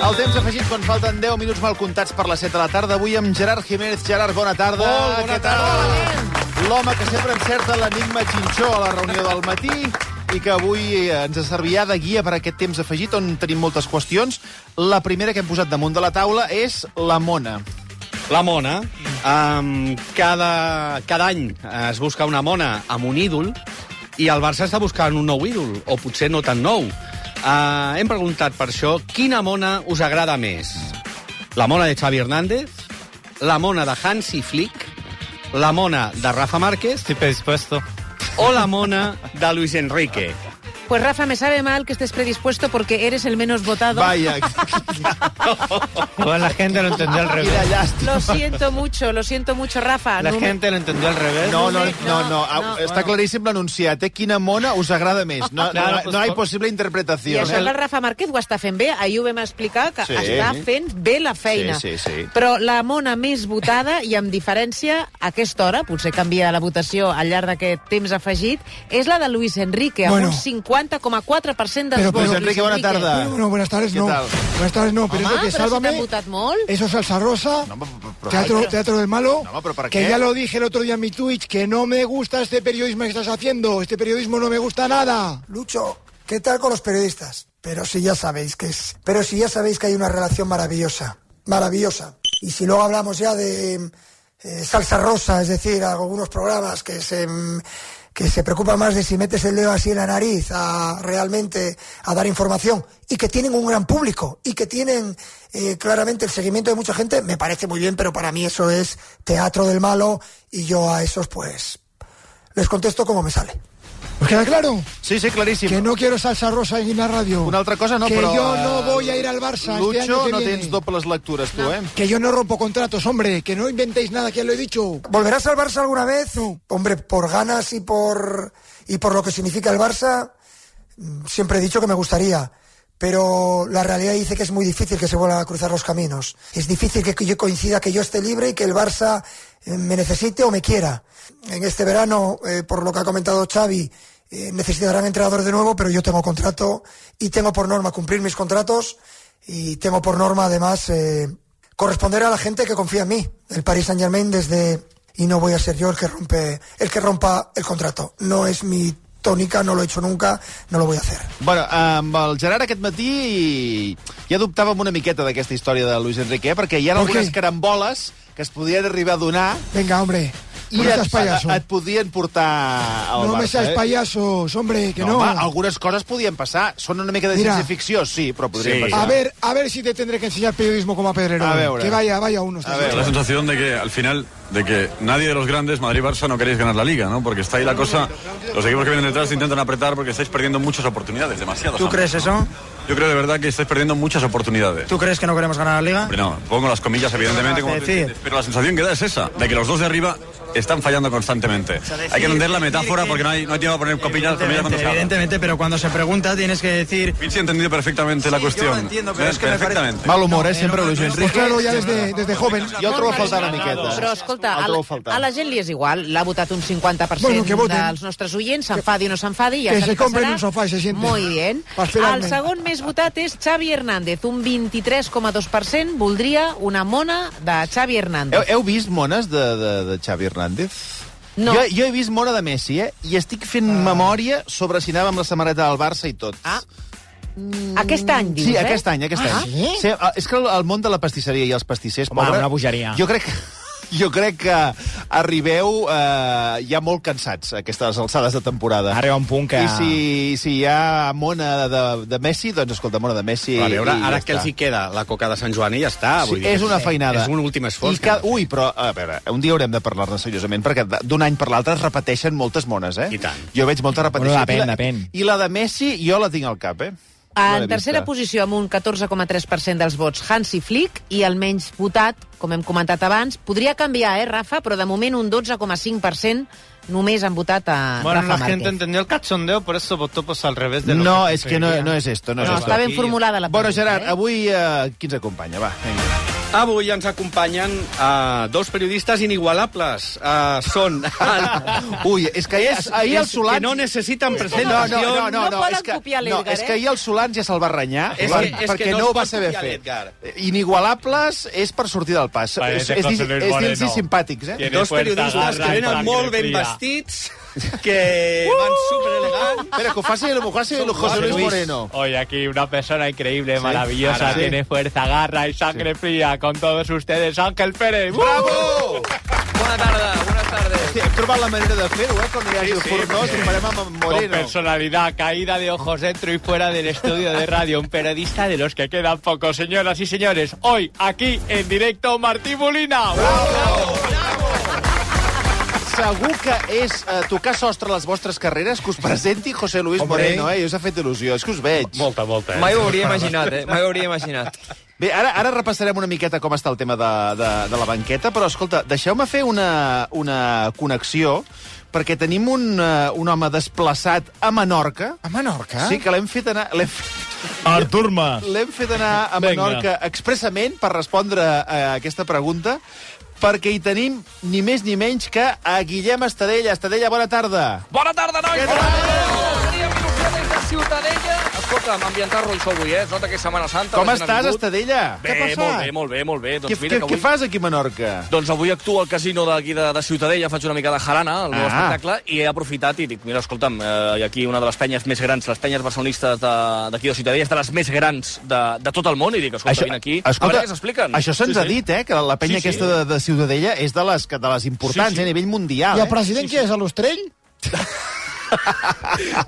El temps afegit quan falten 10 minuts mal comptats per les 7 de la tarda. Avui amb Gerard Jiménez. Gerard, bona tarda. Molt bona tarda. L'home que sempre encerta l'enigma xinxó a la reunió del matí i que avui ens servirà de guia per aquest temps afegit on tenim moltes qüestions. La primera que hem posat damunt de la taula és la mona. La mona. Cada any es busca una mona amb un ídol i el Barça està buscant un nou ídol, o potser no tan nou. Hem preguntat per això quina mona us agrada més. La mona de Xavi Hernández, la mona de Hansi Flick, la mona de Rafa Márquez... Estoy predispuesto. O la mona de Luis Enrique. Pues Rafa, me sabe mal que estés predispuesto porque eres el menos votado. Vaya. Bueno, la gente lo entendió al revés. Lo siento mucho, Rafa. La gente lo entendió al revés. No. Està claríssim l'enunciat. Quina mona us agrada més? No hi ha possible interpretació. I això que el Rafa Márquez ho està fent bé. Ahir ho vam explicar, que està fent bé la feina. Sí. Però la mona més votada, i amb diferència, a aquesta hora, potser canvia la votació al llarg d'aquest temps afegit, és la de Luis Enrique, amb un 50,4% dels vots. Luis Enrique, bona tarda. Bueno, buenas tardes, no. Buenas tardes, no. Pero Home, eso que Sálvame, si t'han votat molt. eso es Salsa Rosa, teatro del malo, que ya lo dije el otro día en mi Twitch, que no me gusta este periodismo que estás haciendo. Este periodismo no me gusta nada. Lucho, ¿qué tal con los periodistas? Pero si ya sabéis que hay una relación maravillosa. Y si luego hablamos ya de Salsa Rosa, es decir, algunos programas que se preocupan más de si metes el dedo así en la nariz realmente a dar información y que tienen un gran público y que tienen claramente el seguimiento de mucha gente, me parece muy bien, pero para mí eso es teatro del malo y yo a esos pues les contesto como me sale. ¿Os queda claro? Sí, claríssim. Que no quiero Salsa Rosa en la radio. Una altra cosa no, que però... Que yo no voy a ir al Barça Lucho, este año que no viene. tens dobles lectures, tu, eh? Que yo no rompo contratos, hombre. Que no inventéis nada, que ya lo he dicho. ¿Volverás al Barça alguna vez? No. Hombre, por ganas y por lo que significa el Barça, siempre he dicho que me gustaría. Pero la realidad dice que es muy difícil que se vuelvan a cruzar los caminos. Es difícil que yo coincida, que yo esté libre y que el Barça me necesite o me quiera. En este verano, por lo que ha comentado Xavi, necesitarán entrenador de nuevo, pero yo tengo contrato y tengo por norma cumplir mis contratos y tengo por norma además corresponder a la gente que confía en mí. El Paris Saint-Germain y no voy a ser yo el que rompa el contrato. No es mi tònica, no lo he hecho nunca, no lo voy a hacer. Bueno, amb el Gerard aquest matí ja dubtàvem una miqueta d'aquesta història de Luis Enrique, perquè hi ha algunes caramboles que es podien arribar a donar. Venga, hombre. I et podien portar al Barça. No me seas payasos, hombre, que no. Home, algunes coses podien passar. Són una mica de ciència-ficció, sí, però podrien passar. A ver si te tendré que enseñar periodismo como a Pedrero. A ver. Que vaya uno. La sensación de que al final, de que nadie de los grandes, Madrid y Barça, no queréis ganar la Liga, ¿no? Porque está ahí la cosa, los equipos que vienen detrás intentan apretar porque estáis perdiendo muchas oportunidades, demasiadas. ¿Tú crees eso? Yo creo de verdad que estáis perdiendo muchas oportunidades. ¿Tú crees que no queremos ganar la Liga? Hombre, no, pongo las comillas evidentemente, como pero la sensación que da es esa, de que los dos de arriba están fallando constantemente. Hay que entender la metáfora porque no hay tiempo a poner comillas cuando se habla. Evidentemente, pero cuando se pregunta tienes que decir... Vinci ha entendido perfectamente la cuestión. Yo lo entiendo, pero es que perfectamente. Mal humor, sempre, Luis Enrique. Pues claro, ya desde joven. Jo el trobo a faltar una miqueta. Però, escolta, a la gent li és igual. L'ha votat un 50% dels nostres oients, s'enfadi o no s'enfadi, ja que se compren un sofà i se sienten. Muy bien. El segon més votat és Xavi Hernández. Un 23,2% voldria una mona de Xavi Hernández. Heu vist mones de Xavi Hernández? No. Jo he vist mona de Messi, i estic fent memòria sobre si anava amb la samarreta del Barça i tot. Aquest any, dius, Sí, aquest any. Sí, és que el món de la pastisseria i els pastissers... Home, una bogeria. Jo crec que arribeu ja molt cansats a aquestes alçades de temporada. Arriba un punt que... I si hi ha mona de Messi, doncs escolta, mona de Messi... A veure, ara que els hi queda la coca de Sant Joan i ja està. Sí, és una feinada. És un últim esforç. Ui, però, a veure, un dia haurem de parlar-ne seriosament, perquè d'un any per l'altre es repeteixen moltes mones, I tant. Jo veig molta repetició. Bueno, depèn. I la de Messi, jo la tinc al cap, En tercera posició, amb un 14,3% dels vots, Hansi Flick, i el menys votat, com hem comentat abans, podria canviar, Rafa, però de moment un 12,5% només han votat a Bueno, Rafa la gente Márquez. entendió el cachondeo, por eso votó pues al revés de lo No, que és que no és esto. No, està ben formulada la Bueno, pregunta. Gerard, avui qui ens acompanya? Va, vinga. Avui ens acompanyen dos periodistes inigualables. Són... Ui, és que ahir el Solans... Que no necessiten presentació. No poden copiar l'Edgar, és que ahir el Solans ja se'l va renyar, perquè no no ho es va pot saber copiar fer. l'Edgar. Inigualables és per sortir del pas. És dins-hi simpàtics, eh? Dos periodistes que venen molt ben vestits, que van superelegants. Espera, que ho faci José Luis Moreno. Hoy aquí una persona increíble, maravillosa, tiene fuerza, garra y sangre fría. Con todos ustedes, Ángel Pérez. Bravo! Bona tarda, buenas tardes. Hòstia, hem trobat la manera de fer-ho, quan hi hagi el fornós, ho farem amb Con Moreno. personalidad, caída de ojos dentro y fuera del estudio de radio. Un periodista de los que quedan pocos, señoras y señores. Hoy, aquí, en directo, Martí Molina. Bravo! Segur que és tocar sostre a les vostres carreres que us presenti José Luis Moreno, eh? I us ha fet il·lusió, és que us veig. Molta. Mai ho hauria imaginat, Mai ho hauria imaginat. Bé, ara repassarem una miqueta com està el tema de la banqueta, però, escolta, deixeu-me fer una connexió, perquè tenim un home desplaçat a Menorca. A Menorca? Sí, que l'hem fet anar... Artur Mas. L'hem fet anar a Menorca expressament per respondre a aquesta pregunta, perquè hi tenim ni més ni menys que a Guillem Estadella. Estadella, bona tarda. Bona tarda, nois! Què tal? Teníem il·lusió des de Ciutadella. Escolta'm, ambientar-lo això avui, Es nota que és Setmana Santa. Com estàs, Estadella? Bé, molt bé. Doncs mira que avui... Què fas aquí a Menorca? Doncs avui actuo al casino d'aquí de Ciutadella, faig una mica de jarana, el meu espectacle, i he aprofitat i dic, mira, escolta'm, aquí una de les penyes més grans, les penyes barcelonistes d'aquí de Ciutadella, és de les més grans de tot el món, i dic, escolta, vine aquí, a veure què s'expliquen. Això se'ns ha dit, que la penya aquesta de Ciutadella és de les importants, a nivell mundial. I el president qui és, a l'Ostrell?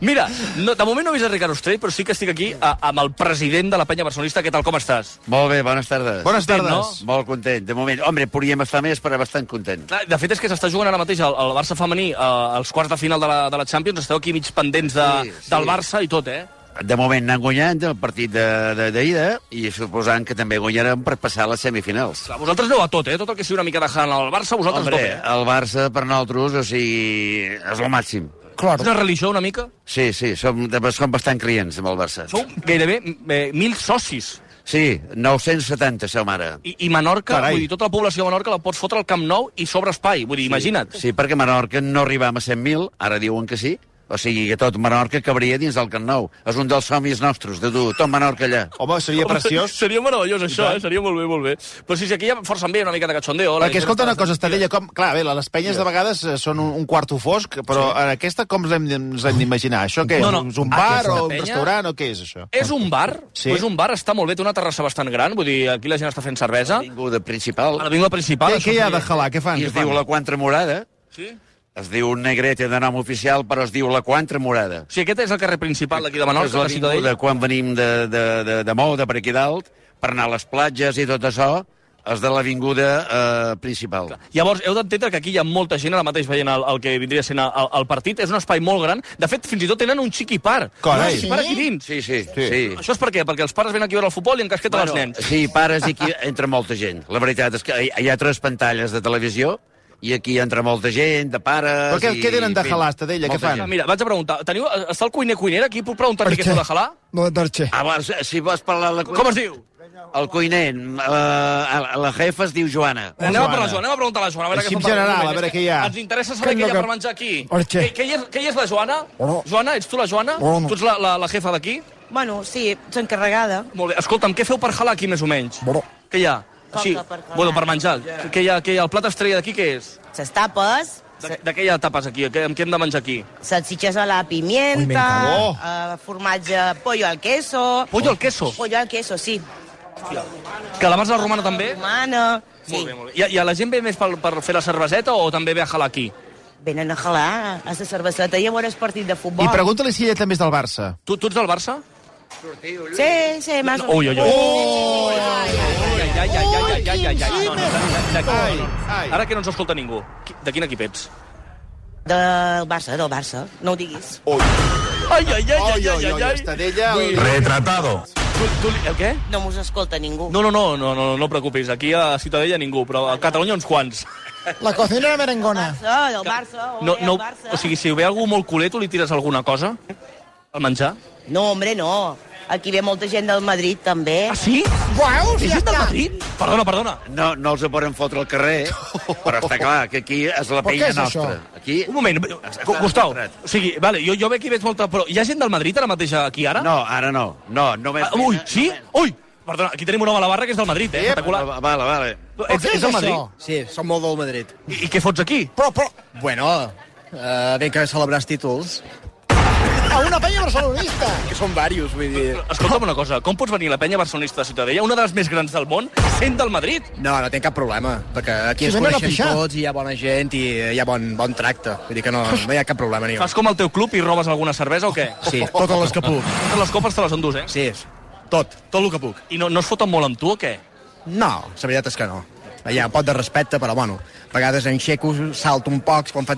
Mira, de moment no he vist a Ricard Ostrell, però sí que estic aquí amb el president de la penya barcelonista. Què tal, com estàs? Molt bé, bones tardes. Bones tardes. No? Molt content, de moment. Hombre, podríem estar més, però bastant content. Clar, de fet, és que s'està jugant ara mateix el Barça femení als quarts de final de la Champions. Esteu aquí mig pendents del Barça i tot, De moment anant guanyant el partit d'ida i suposant que també guanyarem per passar a les semifinals. Clar, vosaltres aneu a tot, tot el que sigui una mica de jana al Barça, vosaltres Hombre, tot, el Barça per nosaltres, o sigui, és el màxim. Claro. És una religió una mica? Sí, som bastant clients amb el Barça. Sou gairebé 1.000 socis. Sí, 970 som ara. I Menorca, Carai. vull dir, tota la població de Menorca la pots fotre al Camp Nou i sobre espai, vull dir, imagina't. Sí, perquè a Menorca no arribam a 100.000, ara diuen que sí. O sigui que tot Menorca cabria dins del Camp Nou. És un dels somnis nostres, de dur tot Menorca allà. Home, seria preciós. Seria meravellós, això, seria molt bé, molt bé. Però sí, aquí ja força bé, una mica de cachondeo. Perquè, escolta una cosa, Estadella, clar, bé, les penyes de vegades són un quarto fosc, però en aquesta com ens hem d'imaginar? Això què? No. És un bar Aquesta o un penya restaurant o què és això? És un bar, Sí. és un bar, està molt bé, té una terrassa bastant gran, vull dir, aquí la gent està fent cervesa. L'avinguda principal. A l'avinguda principal. Què hi ha de jalar? Què fan? I es diu la Quantra Morada. Sí? Es diu Negrete de nom oficial, però es diu la Quantra Morada. O sigui, aquest és el carrer principal d'aquí de És Menorca, de Ciutadella. l'avinguda quan venim de Mou, de per aquí dalt, per anar a les platges i tot això, és de l'avinguda principal. Llavors, heu d'entendre que aquí hi ha molta gent ara mateix veient el que vindria sent el partit. És un espai molt gran. De fet, fins i tot tenen un xiqui par. Carai. Un xiqui par aquí dins. Sí. Això és per què? Perquè els pares venen aquí a veure el futbol i encasqueten els nens. Sí, pares i aquí entra molta gent. La veritat és que hi ha 3 pantalles de televisió i aquí entra molta gent, de pares... Però què tenen de jalar, Estadella? Què Molta fan? gent. Mira, vaig a preguntar. Està el cuiner-cuinera aquí? Puc preguntar-li què què? feu de jalar? No, Darche. Ah, si vols parlar... Com es diu? El cuiner, la jefa es diu Joana. Anem a per la Joana, anem a preguntar a la Joana. A veure Així què en fa per general, moment. a veure És que què hi ha. Ens interessa saber què hi ha per menjar aquí. Orche. Què hi és la Joana? Hola. Joana, ets tu la Joana? Hola. Tu ets la jefa d'aquí? Bueno, sí, ets encarregada. Molt bé. Escolta'm, què feu per jalar aquí, més o menys? Bueno. Què hi ha? Com que per jalar? Bueno, per menjar. Què hi ha? El plat estrella d'aquí què és? Les tapes, De què hi ha tapes aquí? Amb què hem de menjar aquí? salsitxes a la pimienta, formatge, pollo al queso... Pollo al queso. Pollo al queso, sí. Calamars a la romana també? Romana, sí. Molt bé, molt bé. I a la gent ve més per fer la cerveseta o també ve a jalar aquí? Venen a jalar a la cerveseta i a veure el partit de futbol. I pregunta-li si ella també és del Barça. Tu ets del Barça? Sí, més o Ui, ui, ui. Ai. Ara que no ens escolta ningú. De quin equip ets? Del Barça, no ho diguis. Ai, Estadella... Retratado. El què? No mos escolta ningú. No preocupis. Aquí a Ciutadella ningú, però a Catalunya uns quants. La cocinera merengona. Del Barça, No, Barça. o sigui, si ve algú molt culer, tu li tires alguna cosa? Al menjar? No, hombre, no. Aquí ve molta gent del Madrid, també. Ah, sí? Veus? Ve gent del Madrid? Perdona. No els poden fotre al carrer, però està clar que aquí és la penya nostra. Aquí... Un moment, Gustau, o sigui, vale, jo ve aquí veig molta... Però hi ha gent del Madrid ara mateix aquí, ara? No, ara no. Ui, sí? Ui! Perdona, aquí tenim un home a la barra que és del Madrid, espectacular. Vale. Ets del Madrid? Sí, som molt del Madrid. I què fots aquí? Però... Bueno, vinc a celebrar els títols. A una penya barcelonista! Que són diversos, vull dir... Escolta'm una cosa, com pots venir a la penya barcelonista de Ciutadella, una de les més grans del món, sent del Madrid? No tinc cap problema, perquè aquí ens coneixem tots i hi ha bona gent i hi ha bon tracte. Vull dir que no hi ha cap problema. Fas com al teu club i robes alguna cervesa o què? Sí, totes les que puc. Totes les copes te les endús, eh? Sí, tot el que puc. I no es foten molt amb tu o què? No, la veritat és que no. Hi ha un pot de respecte, però bueno, a vegades enxeco, salto un poc quan fa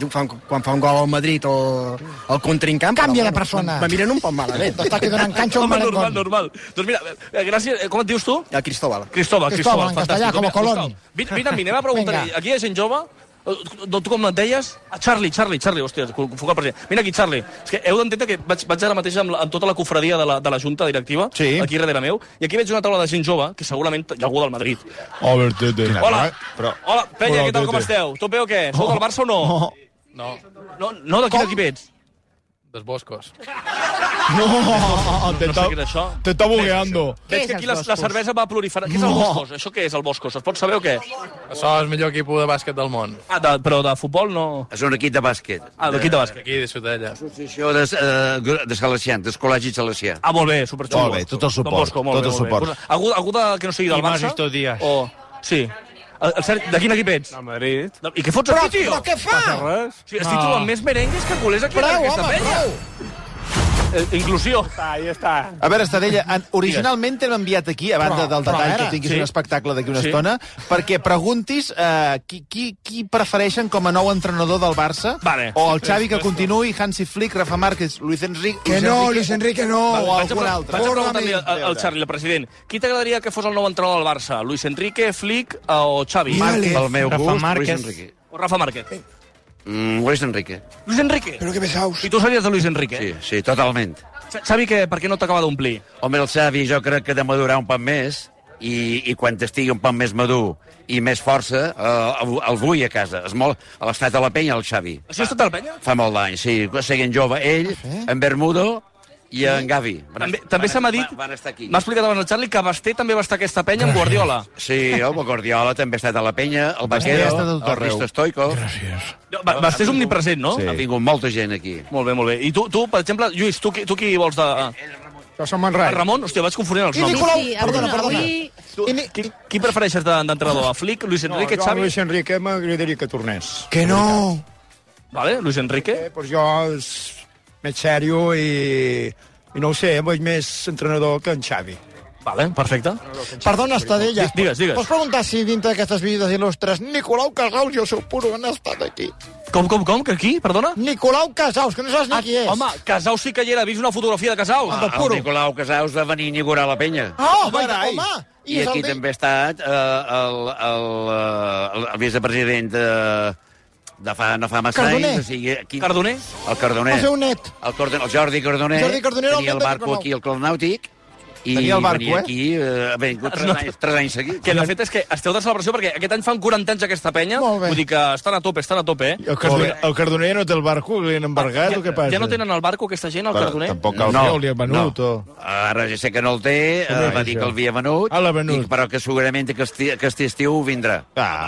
un gol al Madrid o el contrincant. Canvia de persona. Me miren un poc malament. T'està quedant en canxa un malengón. Normal. Doncs mira, gràcies. Com et dius tu? Cristóbal, en castellà, com a Colón. Vine amb mi, anem a preguntar. Aquí hi ha gent jove? Tu com et deies? Charlie, hòstia, confocar el president. Vine aquí, Charlie. És que heu d'entendre que vaig ara mateix amb tota la cofradia de la junta directiva, aquí darrere meu, i aquí veig una taula de gent jove, que segurament hi ha algú del Madrid. Hola, penya, què tal, com esteu? Tot bé o què? Sou del Barça o no? No, de quin equip ets? Dels Boscos. No sé què és això. Te está bugueando. Veig que aquí la cervesa va proliferar. Què és el Boscos? Això què és el Boscos? Es pot saber o què? Això és el millor equip de bàsquet del món. Però de futbol no... És un equip de bàsquet. D'equip de bàsquet. Aquí, de Ciutadella. Associació de Salesians, del Col·legi Salesià. Molt bé, superxulo. Molt bé, tot el suport. Algú que no sigui del Barça? estos días. Sí. De quin equip ets? Del Madrid. I què fots aquí, tio? Però què fa? Estic trobant més merengues que culers aquí en aquesta penya. Inclusió. Ahí está. A veure, Estadella, originalment t'hem enviat aquí, a banda del detall que tinguis un espectacle d'aquí una estona, perquè preguntis qui prefereixen com a nou entrenador del Barça, o el Xavi que continuï, Hansi Flick, Rafa Márquez, Luis Enrique... Que no, Luis Enrique no. O algun altre. Vaig a preguntar-li al Charlie, el president, qui t'agradaria que fos el nou entrenador del Barça? Luis Enrique, Flick o Xavi? Pel meu gust, Luis Enrique. O Rafa Márquez? Luis Enrique. Luis Enrique? Però que pesaus. I tu series de Luis Enrique? Sí, totalment. Xavi, per què no t'acaba d'omplir? Home, el Xavi jo crec que ha de madurar un poc més i quan estigui un poc més madur i més força, el vull a casa. És molt a l'estat de la penya, el Xavi. Això ha estat a la penya? Fa molt d'anys, sí. Seguint jove, ell, en Bermudo i en Gavi. També se m'ha dit, m'ha explicat abans el Charlie, que Basté també va estar a aquesta penya amb Guardiola. Sí, el Guardiola també ha estat a la penya, el Vaquero, el Risto Stoico. Gràcies. Basté és omnipresent, no? Ha vingut molta gent aquí. Molt bé. I tu, per exemple, Lluís, tu qui vols de... Jo som en Rai. Ramon? Hòstia, vaig confonent els noms. Sí, perdona. Qui prefereixes d'entrenador? A Flick, Luis Enrique, Xavi? Xavi? Luis Enrique m'agradaria que tornés. Que no. Vale, Luis Enrique. Pues jo és més sèrio i no ho sé, veig més entrenador que en Xavi. Vale, perfecte. Perdona, Estadella. Digues. Pots preguntar si dintre d'aquestes visites il·lustres Nicolau Casaus i el seu puro han estat aquí? Com? Que qui? Perdona? Nicolau Casaus, que no saps ni qui és. Home, Casaus sí que hi era. Vist una fotografia de Casaus? El Nicolau Casaus va venir a inaugurar la penya. Home! I aquí també ha estat el vicepresident no fa massa anys. Cardoner? El Cardoner. El seu net. El Jordi Cardoner. Tenia el barco aquí al Club Nàutic. I tenia el barco, venia aquí, vingut 3 anys seguits. Que de fet és que esteu de celebració perquè aquest any fan 40 anys aquesta penya. Vull dir que estan a tope, El Cardoner no té el barco, li han embargat o què passa? Ja no tenen el barco aquesta gent, el Cardoner? Tampoc el Fiol li ha venut. Ara ja sé que no el té, va dir que el havia venut, però que segurament aquest estiu vindrà.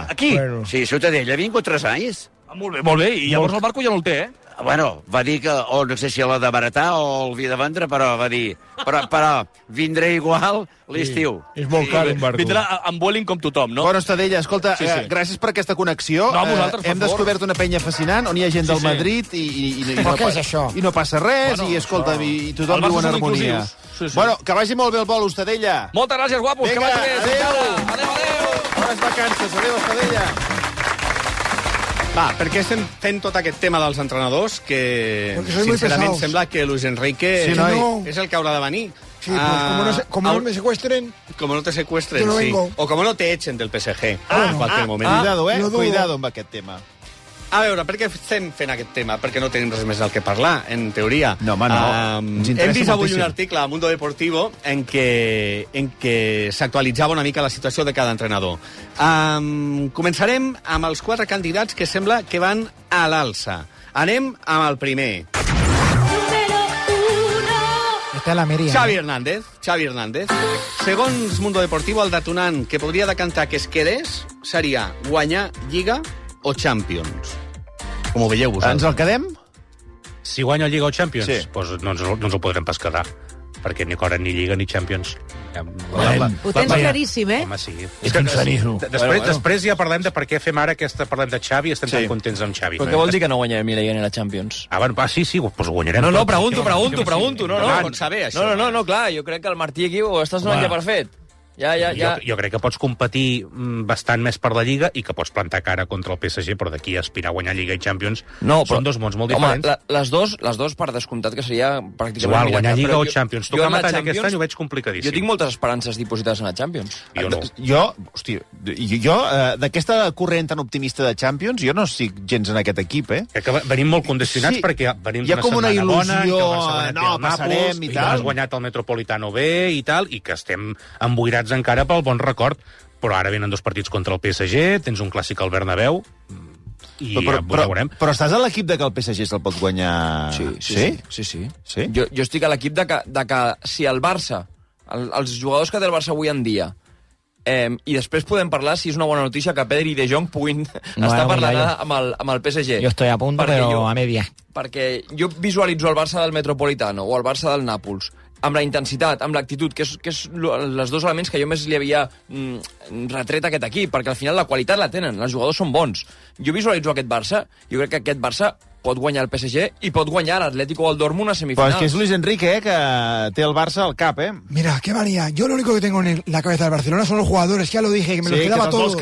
Aquí? Sí, Ciutadella, ha vingut 3 anys. Molt bé, i llavors el barco ja no el té, eh? Bueno, va dir que, no sé si l'ha de baratar o el havia de vendre, però va dir, però vindré igual l'estiu. És molt car un barco. Vindrà amb Vueling com tothom, no? Bueno, Estadella, escolta, gràcies per aquesta connexió. No, vosaltres, hem descobert una penya fascinant on hi ha gent del Madrid Però què és això? I no passa res, i escolta, i tothom viu en harmonia. Bueno, que vagi molt bé el vol, Estadella. Moltes gràcies, guapos. Que vagi bé. Adéu. Bones vacances. Adéu, Estadella. Va, per què estem fent tot aquest tema dels entrenadors que, sincerament, sembla que Luis Enrique és el que haurà de venir. Sí, pues como no me secuestren... Como no te secuestren, no sí. Vengo. O como no te echen del PSG en cualquier moment. Cuidado amb aquest tema. A veure, per què estem fent aquest tema? Perquè no tenim res més del que parlar, en teoria. No, home, no. Hem vist avui un article a Mundo Deportivo en què s'actualitzava una mica la situació de cada entrenador. Començarem amb els 4 candidats que sembla que van a l'alça. Anem amb el primer. Està la Mèria. Xavi Hernández. Segons Mundo Deportivo, el detonant que podria decantar que es quedés seria guanyar Lliga o Champions. Com ho veieu vosaltres? Ens el quedem? Si guanya Lliga o Champions, Sí. doncs no ens ho podrem pas quedar, perquè ni corren ni Lliga ni Champions. Ho tens claríssim, eh? Home, sí. És que Després ja parlem de per què fem ara parlem de Xavi i estem tan contents amb Xavi. Però què vol dir que no guanyarem ni la Lliga ni la Champions? Sí, doncs ho guanyarem. No, tot. pregunto. No, Pots saber, això. No, clar, jo crec que el Martí aquí ho estàs donant ja per fet. Ja. Jo crec que pots competir bastant més per la Lliga i que pots plantar cara contra el PSG, però d'aquí a aspirar a guanyar Lliga i Champions són dos mons molt diferents. Home, les dos per descomptat que seria pràcticament... Igual, guanyar Lliga o Champions. Tocar metall aquest any ho veig complicadíssim. Jo tinc moltes esperances dipositades en la Champions. Jo no. Jo d'aquesta corrent tan optimista de Champions, jo no estic gens en aquest equip, eh? Que venim molt condicionats perquè venim d'una setmana bona, que passarem i tal. Has guanyat el Metropolitano bé i tal, i que estem emboirats encara pel bon record, però ara venen 2 partits contra el PSG, tens un clàssic al Bernabéu, i ja ho veurem. Però estàs a l'equip de que el PSG se'l pot guanyar... Sí. Jo estic a l'equip de que si el Barça, els jugadors que té el Barça avui en dia, i després podem parlar si és una bona notícia que Pedri i De Jong puguin estar parlant amb el PSG. Jo estoy a punto, però a media. Perquè jo visualitzo el Barça del Metropolitano o el Barça del Nàpols amb la intensitat, amb l'actitud, que és els 2 elements que jo més li havia retret a aquest equip, perquè al final la qualitat la tenen, els jugadors són bons. Jo visualitzo aquest Barça, jo crec que aquest Barça pot guanyar el PSG i pot guanyar l'Atlético o el Dortmund a semifinals. Però és que és Luis Enrique, que té el Barça al cap, eh? Mira, qué manía. Yo lo único que tengo en la cabeza del Barcelona son los jugadores. Ya lo dije, que me los quedaba todos.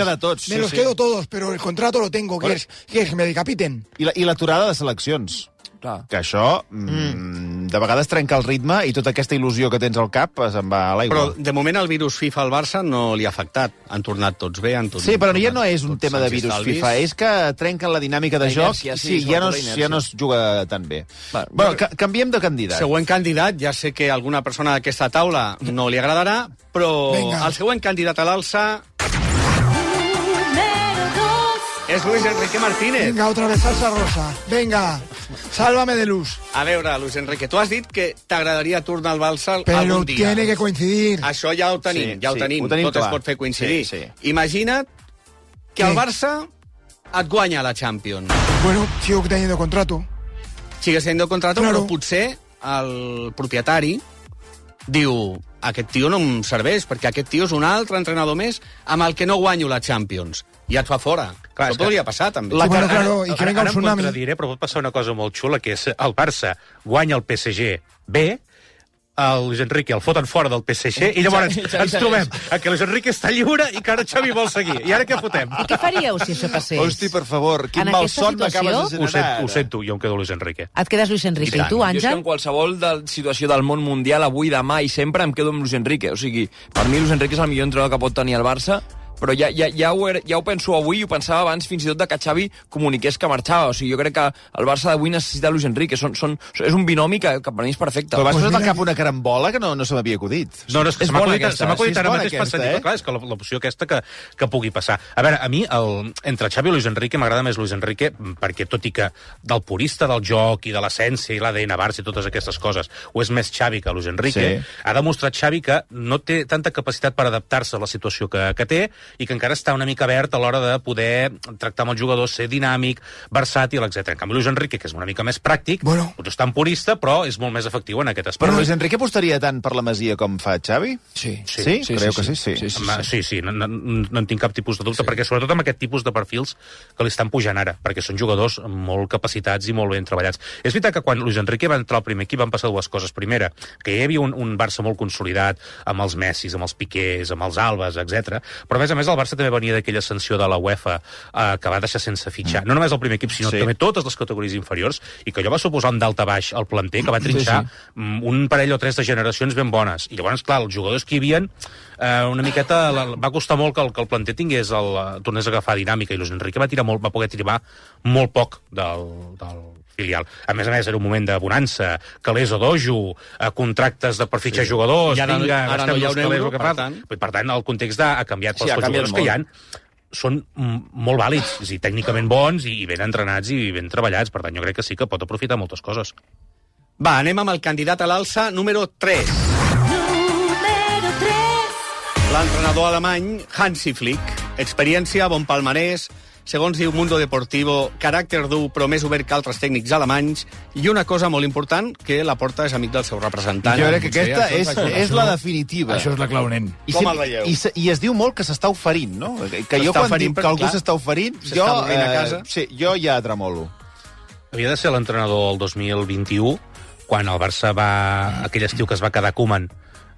Me los quedo todos, pero el contrato lo tengo, que es que me decapiten. I l'aturada de seleccions. Clar. Que això de vegades trenca el ritme i tota aquesta il·lusió que tens al cap se'n va a l'aigua. Però de moment el virus FIFA al Barça no li ha afectat. Han tornat tots bé, Sí, però ja no és un tema de virus FIFA, és que trenquen la dinàmica de joc i ja no es juga tan bé. Bueno, canviem de candidat. Següent candidat, ja sé que a alguna persona d'aquesta taula no li agradarà, però el següent candidat a l'alça és Luis Enrique Martínez. Venga, otra vez salsa rosa. Venga, sálvame de luz. A veure, Luis Enrique, tu has dit que t'agradaria tornar al Barça algun Pero dia. tiene que coincidir. Això ja ho tenim, tot es pot fer coincidir. Imagina't que el Barça et guanya la Champions. Bueno, sigo teniendo contrato. Sigues teniendo contrato, però potser el propietari diu: aquest tio no em serveix, perquè aquest tio és un altre entrenador més amb el que no guanyo la Champions. I et fa fora. Clar, això podria passar, també. Claro, i que venga un tsunami. Ara em contradiré, però pot passar una cosa molt xula, que és el Barça guanya el PSG bé, el Luis Enrique el foten fora del PSG, i llavors ens trobem que Luis Enrique està lliure i que ara Xavi vol seguir. I ara què fotem? I què faríeu si això passés? Hosti, per favor, quin malson m'acabes de generar. Ho sento, jo em quedo Luis Enrique. Et quedes Luis Enrique. I tu, Àngel? Jo és que en qualsevol situació del món mundial, avui, demà i sempre, em quedo amb Luis Enrique. O sigui, per mi Luis Enrique és el millor entrenador que pot tenir el Barça, però ja ho penso avui i ho pensava abans fins i tot que Xavi comuniqués que marxava. O sigui, jo crec que el Barça d'avui necessita Luis Enrique. És un binomi que per mi és perfecte. Però vas posar al cap una carambola que no se m'havia acudit. No, és que se m'ha acudit ara mateix pensant. Clar, és que l'opció aquesta que pugui passar. A veure, a mi, entre Xavi i Luis Enrique, m'agrada més Luis Enrique, perquè tot i que del purista del joc i de l'essència i l'ADN Barça i totes aquestes coses, o és més Xavi que Luis Enrique, ha demostrat Xavi que no té tanta capacitat per adaptar-se a la situació que té, i que encara està una mica verd a l'hora de poder tractar amb els jugadors, ser dinàmic, versàtil, etc. En canvi, Luis Enrique, que és una mica més pràctic, potser està en purista, però és molt més efectiu en aquest aspecte. Però Luis Enrique apostaria tant per la Masia com fa Xavi? Sí. Creu que sí? Sí, no en tinc cap tipus de dubte, perquè sobretot amb aquest tipus de perfils que li estan pujant ara, perquè són jugadors molt capacitats i molt ben treballats. És veritat que quan Luis Enrique va entrar al primer equip van passar dues coses. Primera, que hi havia un Barça molt consolidat, amb els Messis, amb els Piqués, amb els Albes, etc. Però a més més, el Barça també venia d'aquella sanció de la UEFA que va deixar sense fitxar. No només el primer equip, sinó també totes les categories inferiors, i que allò va suposar un daltabaix al planter que va trinxar un parell o tres de generacions ben bones. I llavors, clar, els jugadors que hi havia una miqueta... Va costar molt que el planter tornés a agafar dinàmica, i Luis Enrique va poder tirar molt poc del filial. A més, era un moment de bonança, calés o dojo, contractes per fitxar jugadors, ara no hi ha un euro, per tant, el context ha canviat pels jugadors que hi ha. Són molt vàlids, tècnicament bons i ben entrenats i ben treballats. Per tant, jo crec que sí que pot aprofitar moltes coses. Va, anem amb el candidat a l'alça número 3. Número 3. L'entrenador alemany Hansi Flick. Experiència, bon palmarès, segons diu Mundo Deportivo, caràcter dur però més obert que altres tècnics alemanys, i una cosa molt important, que Laporta és amic del seu representant. Jo crec que aquesta és la definitiva. Això és la clau, nen. Com el veieu? I es diu molt que s'està oferint, no? Que jo quan dic que algú s'està oferint, jo ja tremolo. Havia de ser l'entrenador el 2021, quan el Barça aquell estiu que es va quedar Koeman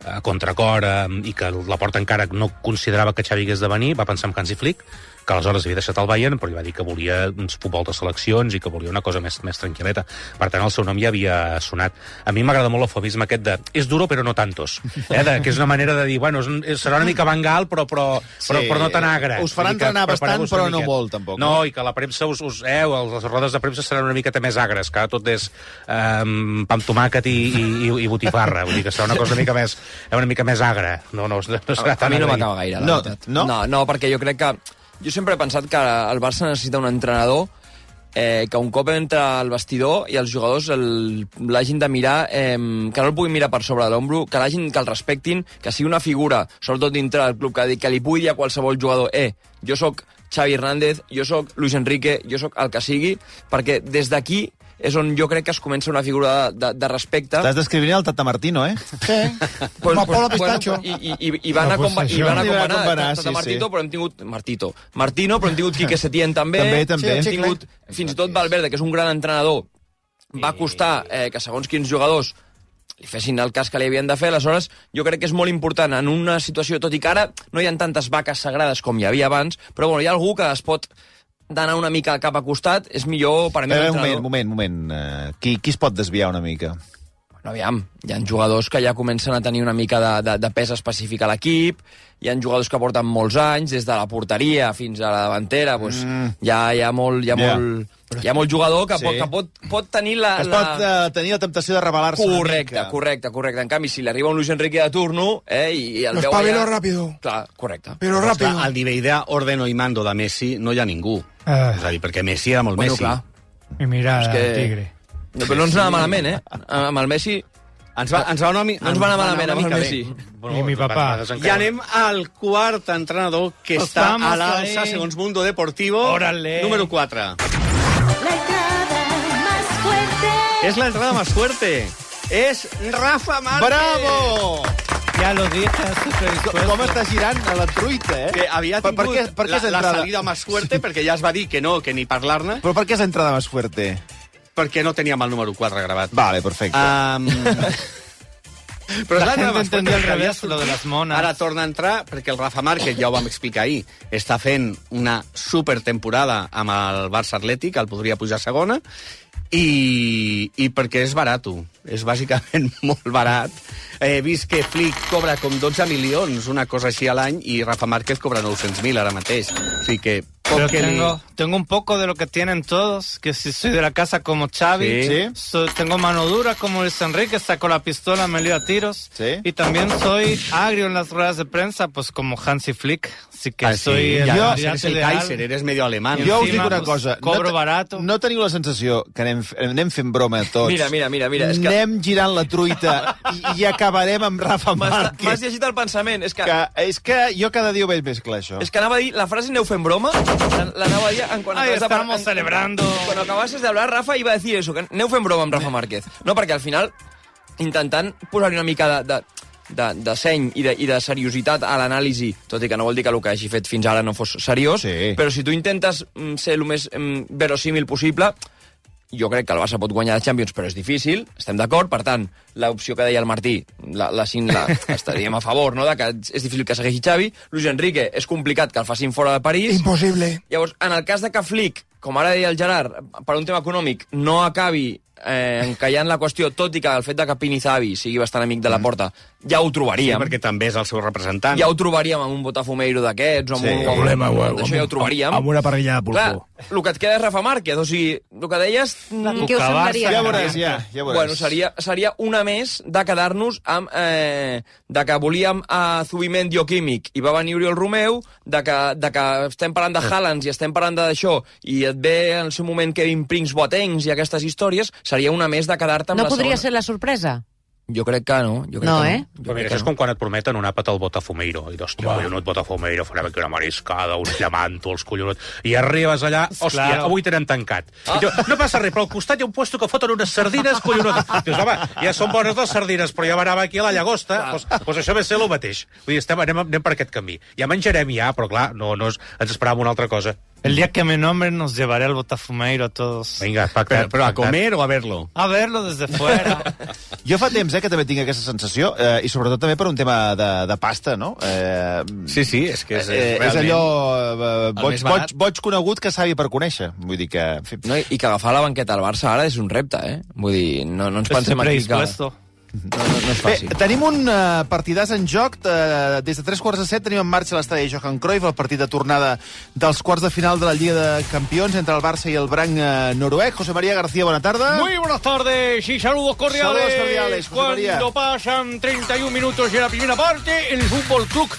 a contracor i que Laporta encara no considerava que Xavi hagués de venir, va pensar en Hansi Flick, que aleshores havia deixat el Bayern, però li va dir que volia uns futbol de seleccions i que volia una cosa més tranquil·leta. Per tant, el seu nom ja havia sonat. A mi m'agrada molt l'eufemisme aquest de és duro però no tantos, que és una manera de dir, bueno, serà una mica Van Gaal però no tan agre. Us farà entrenar bastant però no molt, tampoc. No, i que la premsa les rodes de premsa seran una miqueta més agres, que tot és pa amb tomàquet i botifarra, vull dir que serà una cosa una mica més agra. No serà tan a mi no agre. m'acaba gaire, la veritat. No, perquè jo crec que jo sempre he pensat que el Barça necessita un entrenador que un cop entra al vestidor i els jugadors l'hagin de mirar, que no el puguin mirar per sobre de l'ombro, que el respectin, que sigui una figura, sobretot dintre del club, que li pugui dir a qualsevol jugador jo sóc Xavi Hernández, jo sóc Luis Enrique, jo sóc el que sigui, perquè des d'aquí és on jo crec que es comença una figura de respecte. Estàs descrivint el Tata Martino, eh? Sí. Polo Pistacho. I van acompanar Tata Martino, però hem tingut Martino, però hem tingut Quique Setién també. També. Hem tingut fins i tot Valverde, que és un gran entrenador. Va costar que segons quins jugadors li fessin el cas que li havien de fer. Aleshores, jo crec que és molt important en una situació, tot i que ara no hi ha tantes vaques sagrades com hi havia abans, però bueno, hi ha algú que es pot d'anar una mica cap a costat, és millor per a mi l'entrenador. Un moment. Qui es pot desviar una mica? Bueno, aviam, hi ha jugadors que ja comencen a tenir una mica de pes específic a l'equip, hi ha jugadors que porten molts anys, des de la porteria fins a la davantera, doncs hi ha molt jugador que pot tenir tenir la temptació de rebel·lar-se. Correcte. En canvi, si li arriba un Luis Enrique de turno i el veu allà... rápido. Clar, correcte. Però rápido. Al nivell d'ordeno i mando de Messi no hi ha ningú. És a dir, perquè Messi era molt Messi. Clar. I mira, Tigre. No, però no ens anava malament, Amb el Messi... No ens va anar malament amb el Messi. I mi papà. I anem al quart entrenador que està a l'alça, segons Mundo Deportivo. Número 4. La entrada más fuerte. És la entrada más fuerte. És Rafa Márquez. ¡Bravo! Ja lo dije. Com està girant a la truita, Que havia tingut la salida más fuerte, perquè ja es va dir que no, que ni parlar-ne. Però per què és entrada más fuerte? Perquè no teníem el número 4 gravat. Vale, perfecte. Però la gent entendí al revés, lo de les mones. Ara torna a entrar, perquè el Rafa Márquez, ja ho vam explicar ahir, està fent una supertemporada amb el Barça Atlètic, el podria pujar a segona, i perquè és barat. És bàsicament molt barat. He vist que Flick cobra com 12 milions, una cosa així a l'any, i Rafa Márquez cobra 900.000 ara mateix. O sigui que... Pero tengo un poco de lo que tienen todos, que si soy de la casa como Xavi, tengo mano dura como Luis Enrique, saco la pistola, me lío a tiros, y también soy agrio en las ruedas de prensa, pues como Hansi Flick, así que soy el Kaiser, eres medio alemán. Jo us dic una cosa, cobro barato. No teniu la sensació que anem fent broma tots? Mira, és que... Anem girant la truita i acabarem amb Rafa Márquez. M'has llegit el pensament, és que jo cada dia ho veig més clar, això. És que anava a dir, la frase aneu fent broma, l'anava a dir estamos celebrando. Cuando acabases de hablar, Rafa iba a decir eso, que aneu fent broma amb Rafa Márquez. No, perquè al final, intentant posar-hi una mica de seny i de seriositat a l'anàlisi, tot i que no vol dir que el que hagi fet fins ara no fos seriós, però si tu intentes ser el més verosímil possible, jo crec que el Barça pot guanyar la Champions, però és difícil, estem d'acord, per tant, l'opció que deia el Martí, estaríem a favor, no?, de que és difícil que segueixi Xavi. Luis Enrique, és complicat que el facin fora de París. Impossible. Llavors, en el cas de que Flick, com ara deia el Gerard, per un tema econòmic, no acabi encallant la qüestió, tot i que el fet de que Pinizavi sigui bastant amic de la Porta, ja ho trobaríem. Sí, perquè també és el seu representant. Ja ho trobaríem amb un Botafumeiro d'aquests, o amb això ja ho trobaríem. Amb una parrilla de pulpo. Clar, el que et queda és Rafa Márquez, o sigui, el que deies... Què us semblaria? Ja veuràs. Bueno, seria una més de quedar-nos amb... de que volíem a Zubimendi o Químic i va venir Oriol Romeu, de que estem parlant de Haalands i estem parlant d'això, i et ve en el seu moment Kevin Prince Boatengs i aquestes històries, seria una més de quedar-te amb la segona. No podria ser la sorpresa? Jo crec que no. Però mira, això és com quan et prometen un àpat al Botafumeiro. I hòstia, collonut Botafumeiro, farem aquí una mariscada, uns llamantos, collonut. I arribes allà, hòstia, avui tenen tancat. I diu, no passa res, però al costat hi ha un puesto que foten unes sardines, collonut. Dius, home, ja són bones les sardines, però ja m'anava aquí a la llagosta. Doncs això ve ser el mateix. Vull dir, anem per aquest camí. Ja menjarem ja, però clar, ens esperàvem una altra cosa. El día que me nombren nos llevaré al Botafumeiro a todos. Vinga, pactat. Però a comer o a verlo? A verlo desde fuera. Jo fa temps que també tinc aquesta sensació, i sobretot també per un tema de pasta, no? Sí, és que és és allò boig conegut que savi per conèixer. Vull dir que... No, i que agafar la banqueta al Barça ara és un repte, Vull dir, no ens pensem aquí que... No és fàcil. Bé, tenim un partidàs en joc. Des de 3:45 tenim en marxa l'estadi Johan Cruyff, el partit de tornada dels quarts de final de la Lliga de Campions entre el Barça i el Branc noruec. José María García, buena tarde. Muy buenas tardes y saludos cordiales. Saludos cordiales, José María. Cuando pasan 31 minutos de la primera parte, el Fútbol Club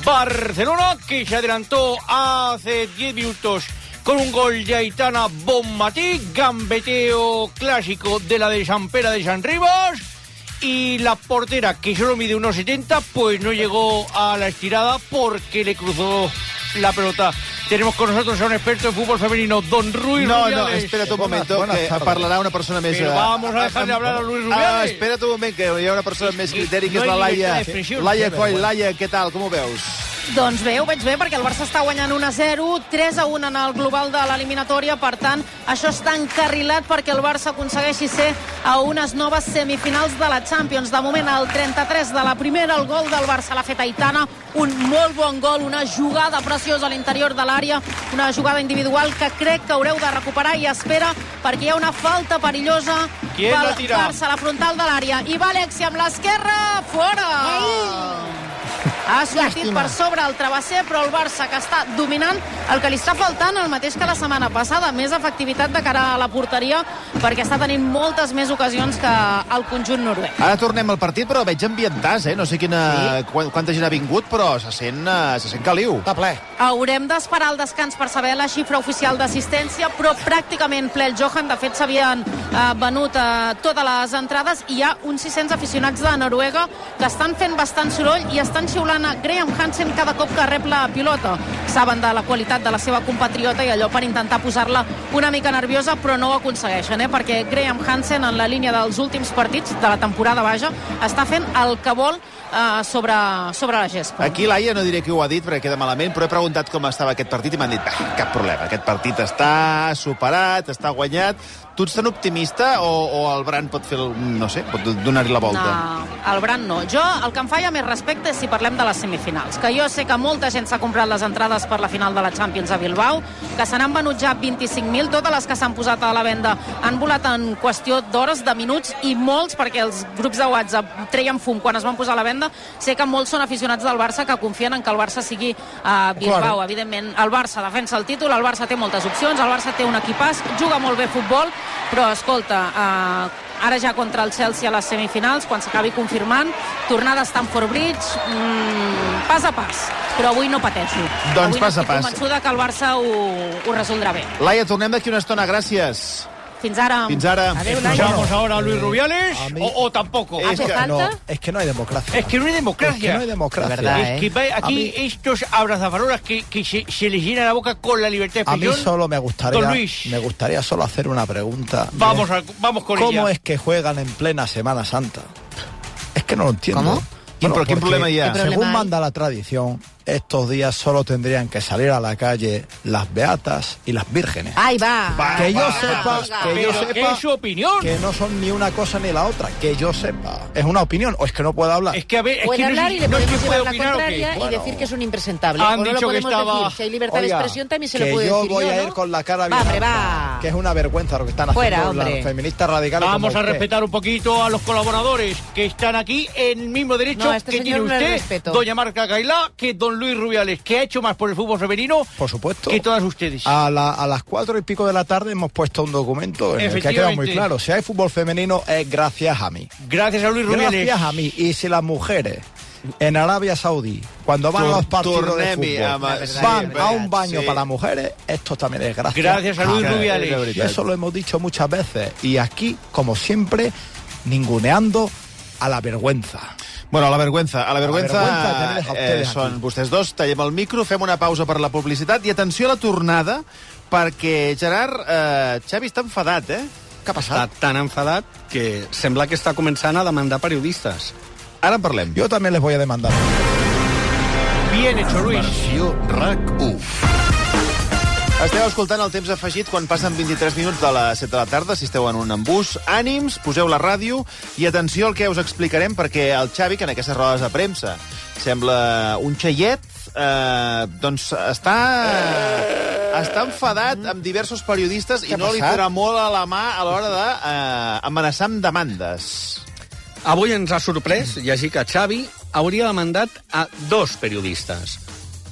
Barcelona, que se adelantó hace 10 minutos con un gol de Aitana Bonmatí, gambeteo clásico de la de San Pera de San Rivas. Y la portera, que solo mide 1,70, pues no llegó a la estirada porque le cruzó la pelota. Tenemos con nosotros a un experto en fútbol femenino, don Ruiz Rubiales. No, espera't un momento, que parlarà una persona més... Pero vamos a dejarle hablar a Luis Rubiales. Espera't un moment, que hi ha una persona més criteri, que és la Laia Coll. Laia, què tal, com ho veus? Doncs bé, ho veig bé, perquè el Barça està guanyant 1-0, 3-1 en el global de l'eliminatòria, per tant, això està encarrilat perquè el Barça aconsegueixi ser a unes noves semifinals de la Champions. De moment, el 33 de la primera, el gol del Barça l'ha fet Aitana, un molt bon gol, una jugada preciosa a l'interior de l'àrea, una jugada individual que crec que haureu de recuperar i espera, perquè hi ha una falta perillosa pel Barça a la frontal de l'àrea. I va Alexia amb l'esquerra, fora! Ha sortit per sobre el travesser, però el Barça, que està dominant, el que li està faltant el mateix que la setmana passada, més efectivitat de cara a la porteria, perquè està tenint moltes més ocasions que el conjunt noruec. Ara tornem al partit, però veig ambientàs, no sé quanta gent ha vingut, però se sent caliu. Està ple. Haurem d'esperar el descans per saber la xifra oficial d'assistència, però pràcticament ple el Johan. De fet, s'havien venut totes les entrades, i hi ha uns 600 aficionats de Noruega que estan fent bastant soroll i estan xiulant a Graham Hansen cada cop que rep la pilota. Saben de la qualitat de la seva compatriota i allò per intentar posar-la una mica nerviosa, però no ho aconsegueixen, perquè Graham Hansen, en la línia dels últims partits de la temporada baja, està fent el que vol sobre la gespa. Aquí Laia no diré qui ho ha dit perquè queda malament, però he preguntat com estava aquest partit i m'han dit, cap problema, aquest partit està superat, està guanyat. Tu ets tan optimista o el Branc pot fer, no sé, pot donar-hi la volta? No, el Branc no. Jo, el que em fa ja més respecte és si parlem de les semifinals, que jo sé que molta gent s'ha comprat les entrades per la final de la Champions a Bilbao, que se n'han venut ja 25.000, totes les que s'han posat a la venda han volat en qüestió d'hores, de minuts, i molts, perquè els grups de WhatsApp treien fum quan es van posar a la venda. Sé que molts són aficionats del Barça que confien en que el Barça sigui a Bilbao. Clar. Evidentment, el Barça defensa el títol, el Barça té moltes opcions, el Barça té un equipàs, juga molt bé futbol, però, escolta, ara ja contra el Chelsea a les semifinals, quan s'acabi confirmant, tornada a Stamford Bridge, pas a pas, però avui no pateixo. Doncs pas a pas. Avui no estic convençuda que el Barça ho resoldrà bé. Laia, tornem d'aquí una estona, gràcies. Fins ara. Fins ara. ¿Escuchamos ahora a Luis Rubiales o tampoco? Es que no hay democracia. Es que no hay democracia. Es que no hay democracia. ¿Verdad, Es que aquí estos abrazafarolas que se les llena la boca con la libertad de expresión. A mí solo me Luis. gustaría solo hacer una pregunta. Vamos con ella. ¿Cómo es que juegan en plena Semana Santa? Es que no lo entiendo. ¿Cómo? ¿Qué problema hay? Según manda la tradición, estos días solo tendrían que salir a la calle las beatas y las vírgenes. ¡Ahí va! Que yo sepa, ¿Qué es su opinión? que no son ni una cosa ni la otra, que yo sepa. Es una opinión, o es que no puedo hablar. Es que a ver, es Puede que hablar y le podemos llevar la opinar, contraria y decir que es un impresentable. Han O no lo dicho que podemos estaba... decir. Si hay libertad de expresión también se lo que puede yo decir voy a ¿no? ir con la cara Va, hombre, bien va. alta, que es una vergüenza lo que están Fuera, haciendo hombre. las feministas radicales. Vamos como a usted. respetar un poquito a los colaboradores que están aquí en el mismo derecho No, este que tiene señor no le usted, respeto. doña Marca Gailá, que don Luis Rubiales, que ha hecho más por el fútbol femenino Por supuesto. que todas ustedes. A las 4 y pico de la tarde hemos puesto un documento en el que ha quedado muy claro. Si hay fútbol femenino es gracias a mí. Gracias a Luis Rubiales. Gracias a mí. Y si las mujeres en Arabia Saudí, cuando van a los partidos de fútbol, van a un baño para las mujeres, esto también es gracias. Gracias a Luis Rubiales. Y eso lo hemos dicho muchas veces. Y aquí, como siempre, ninguneando a la vergüenza. Bueno, a la vergüenza tenir-les a ustedes són aquí. vostès dos. Tallem el micro, fem una pausa per la publicitat i atenció a la tornada, perquè Gerard, Xavi està enfadat, eh? Què ha passat? Està tan enfadat que sembla que està començant a demandar periodistes. Ara en parlem. Yo también les voy a demandar. Bien hecho, Luis. Versió RAC1. Esteu escoltant el temps afegit quan passen 23 minuts de les 7 de la tarda, si esteu en un embús. Ànims, poseu la ràdio i atenció al que us explicarem, perquè el Xavi, que en aquestes rodes de premsa sembla un xaiet, doncs està enfadat amb diversos periodistes i no li farà molt a la mà a l'hora d'amenaçar amb demandes. Avui ens ha sorprès llegir que Xavi hauria demandat a 2 periodistes.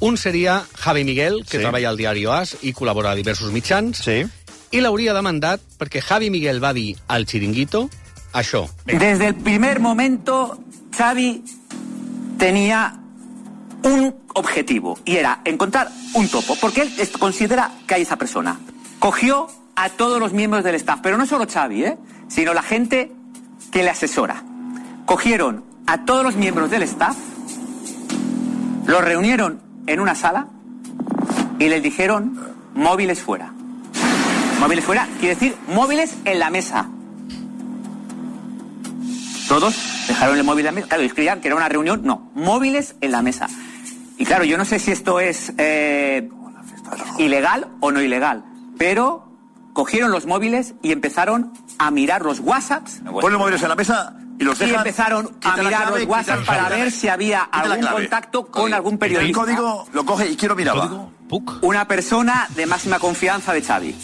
Un seria Javi Miguel, que treballa al diari AS i col·labora a diversos mitjans, i l'hauria demandat perquè Javi Miguel va dir al Chiringuito això. Desde el primer momento, Xavi tenía un objetivo, y era encontrar un topo, porque él considera que hay esa persona. Cogió a todos los miembros del staff, pero no solo Xavi, sino la gente que le asesora. Cogieron a todos los miembros del staff, los reunieron en una sala y les dijeron móviles fuera. Móviles fuera quiere decir móviles en la mesa. Todos dejaron el móvil en la mesa. Claro, ellos creían que era una reunión. No, móviles en la mesa. Y claro, yo no sé si esto es ilegal o no ilegal, pero cogieron los móviles y empezaron a mirar los WhatsApps. Ponen los móviles en la mesa y los dejan. Y empezaron a mirar los WhatsApp para ver si había algún contacto con algún periodista. El código lo coge y quién lo miraba. Una persona de máxima confianza de Xavi.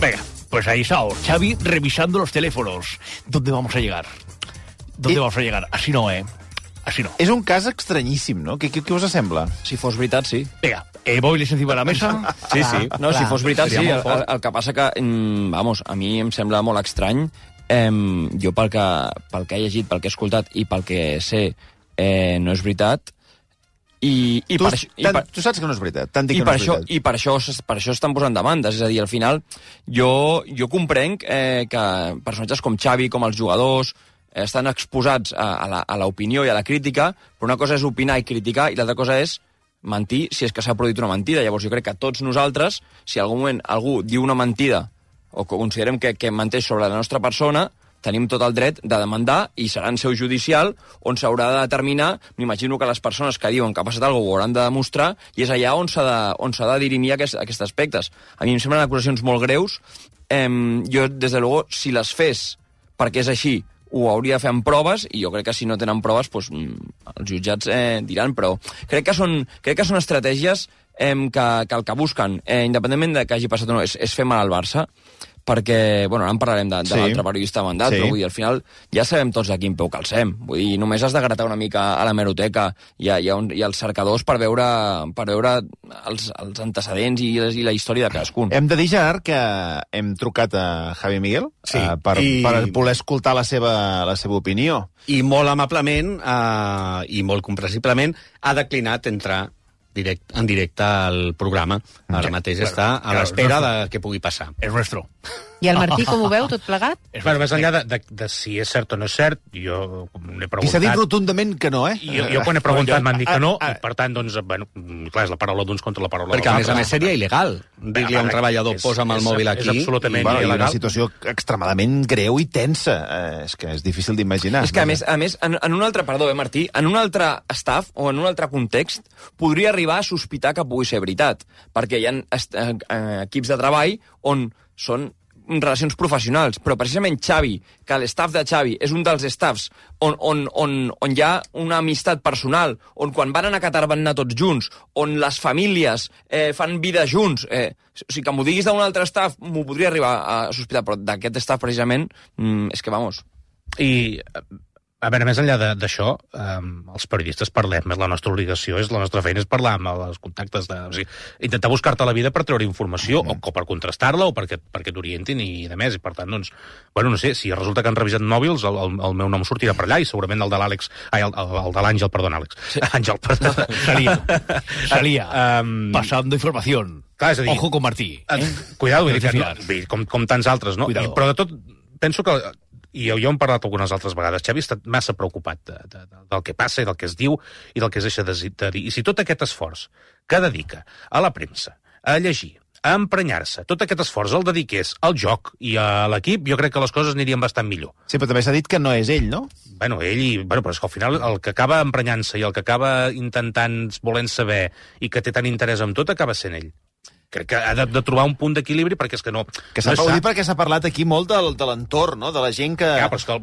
Venga, pues ahí está, Xavi revisando los teléfonos. ¿Dónde vamos a llegar? ¿Dónde vamos a llegar? Así no, Así no. És un cas estranyíssim, no? Què us sembla? Si fos veritat, sí. Vinga, móviles encima de la mesa. Sí. No, si fos veritat, sí. El que passa que, vamos, a mi em sembla molt estrany. Jo pel que he llegit, pel que he escoltat i pel que sé, no és veritat. Tu saps que no és veritat. Tant dic que no és veritat. I per això estan posant demandes. És a dir, al final, jo comprenc que personatges com Xavi, com els jugadors, estan exposats a l'opinió i a la crítica, però una cosa és opinar i criticar i l'altra cosa és mentir si és que s'ha produït una mentida. Llavors jo crec que tots nosaltres, si en algun moment algú diu una mentida o considerem que menteix sobre la nostra persona, tenim tot el dret de demandar i serà en seu judicial on s'haurà de determinar, m'imagino que les persones que diuen que ha passat alguna cosa ho hauran de demostrar i és allà on s'ha de dirimir aquests aspectes. A mi em semblen acusacions molt greus. Jo, des de luego, si les fes perquè és així, ho hauria de fer amb proves, i jo crec que si no tenen proves, doncs, els jutjats diran, però crec que són estratègies que el que busquen, independentment de que hagi passat o no, és fer mal al Barça, perquè, bueno, ara en parlarem de l'altre periodista mandat, però vull dir, al final ja sabem tots a quin peu calcem. Vull dir, només has de gratar una mica a l'hemeroteca i als cercadors per veure els antecedents i la història de cadascun. Hem de dir, Gerard, que hem trucat a Javi Miguel per voler escoltar la seva opinió. I molt amablement i molt comprensiblement ha declinat entrar en directe al programa. Ara mateix està a l'espera de què pugui passar. És nuestro. I el Martí, com ho veu, tot plegat? Bueno, més enllà de si és cert o no és cert, jo n'he preguntat... I s'ha dit rotundament que no, Jo quan he preguntat m'han dit que no, i per tant, doncs, bueno, clar, és la paraula d'uns contra la paraula dels altres. Perquè, a més, seria il·legal dir-li a un treballador, posa'm el mòbil aquí. És absolutament il·legal. il·legal. Una situació extremadament greu i tensa. És que és difícil d'imaginar. És que, a més, en un altre, perdó, Martí, en un altre staff o en un altre context, podria arribar a sospitar que pugui ser veritat, perquè hi ha equips de treball on són relacions professionals, però precisament Xavi, que l'estaf de Xavi és un dels staffs on hi ha una amistat personal, on quan van anar a Qatar van anar tots junts, on les famílies fan vida junts, o sigui, que m'ho diguis d'un altre staff m'ho podria arribar a sospitar, però d'aquest staff precisament és que vamos. I, a veure, més enllà d'això, els periodistes parlem, és la nostra obligació, la nostra feina és parlar amb els contactes, o sigui, intentar buscar-te la vida per treure informació, o per contrastar-la, o perquè t'orientin i de més, i per tant, doncs, bueno, no sé, si resulta que han revisat mòbils, el meu nom sortirà per allà, i segurament el de l'Àlex, el de l'Àngel, perdó, Àlex. Àngel, perdó. Salía, pasando información. Clar, és a dir, ojo con Martí. Cuidado, com tants altres, no? Però de tot, penso que i jo hem parlat algunes altres vegades, Xavi ha estat massa preocupat del que passa i del que es diu i del que es deixa de dir. I si tot aquest esforç que dedica a la premsa, a llegir, a emprenyar-se, tot aquest esforç el dediqués al joc i a l'equip, jo crec que les coses anirien bastant millor. Sí, però també s'ha dit que no és ell, no? Bueno, però és que al final el que acaba emprenyant-se i el que acaba intentant, volent saber i que té tant interès en tot, acaba sent ell. Crec que ha de trobar un punt d'equilibri perquè és que no... Que s'ha perquè s'ha parlat aquí molt de l'entorn, no? De la gent que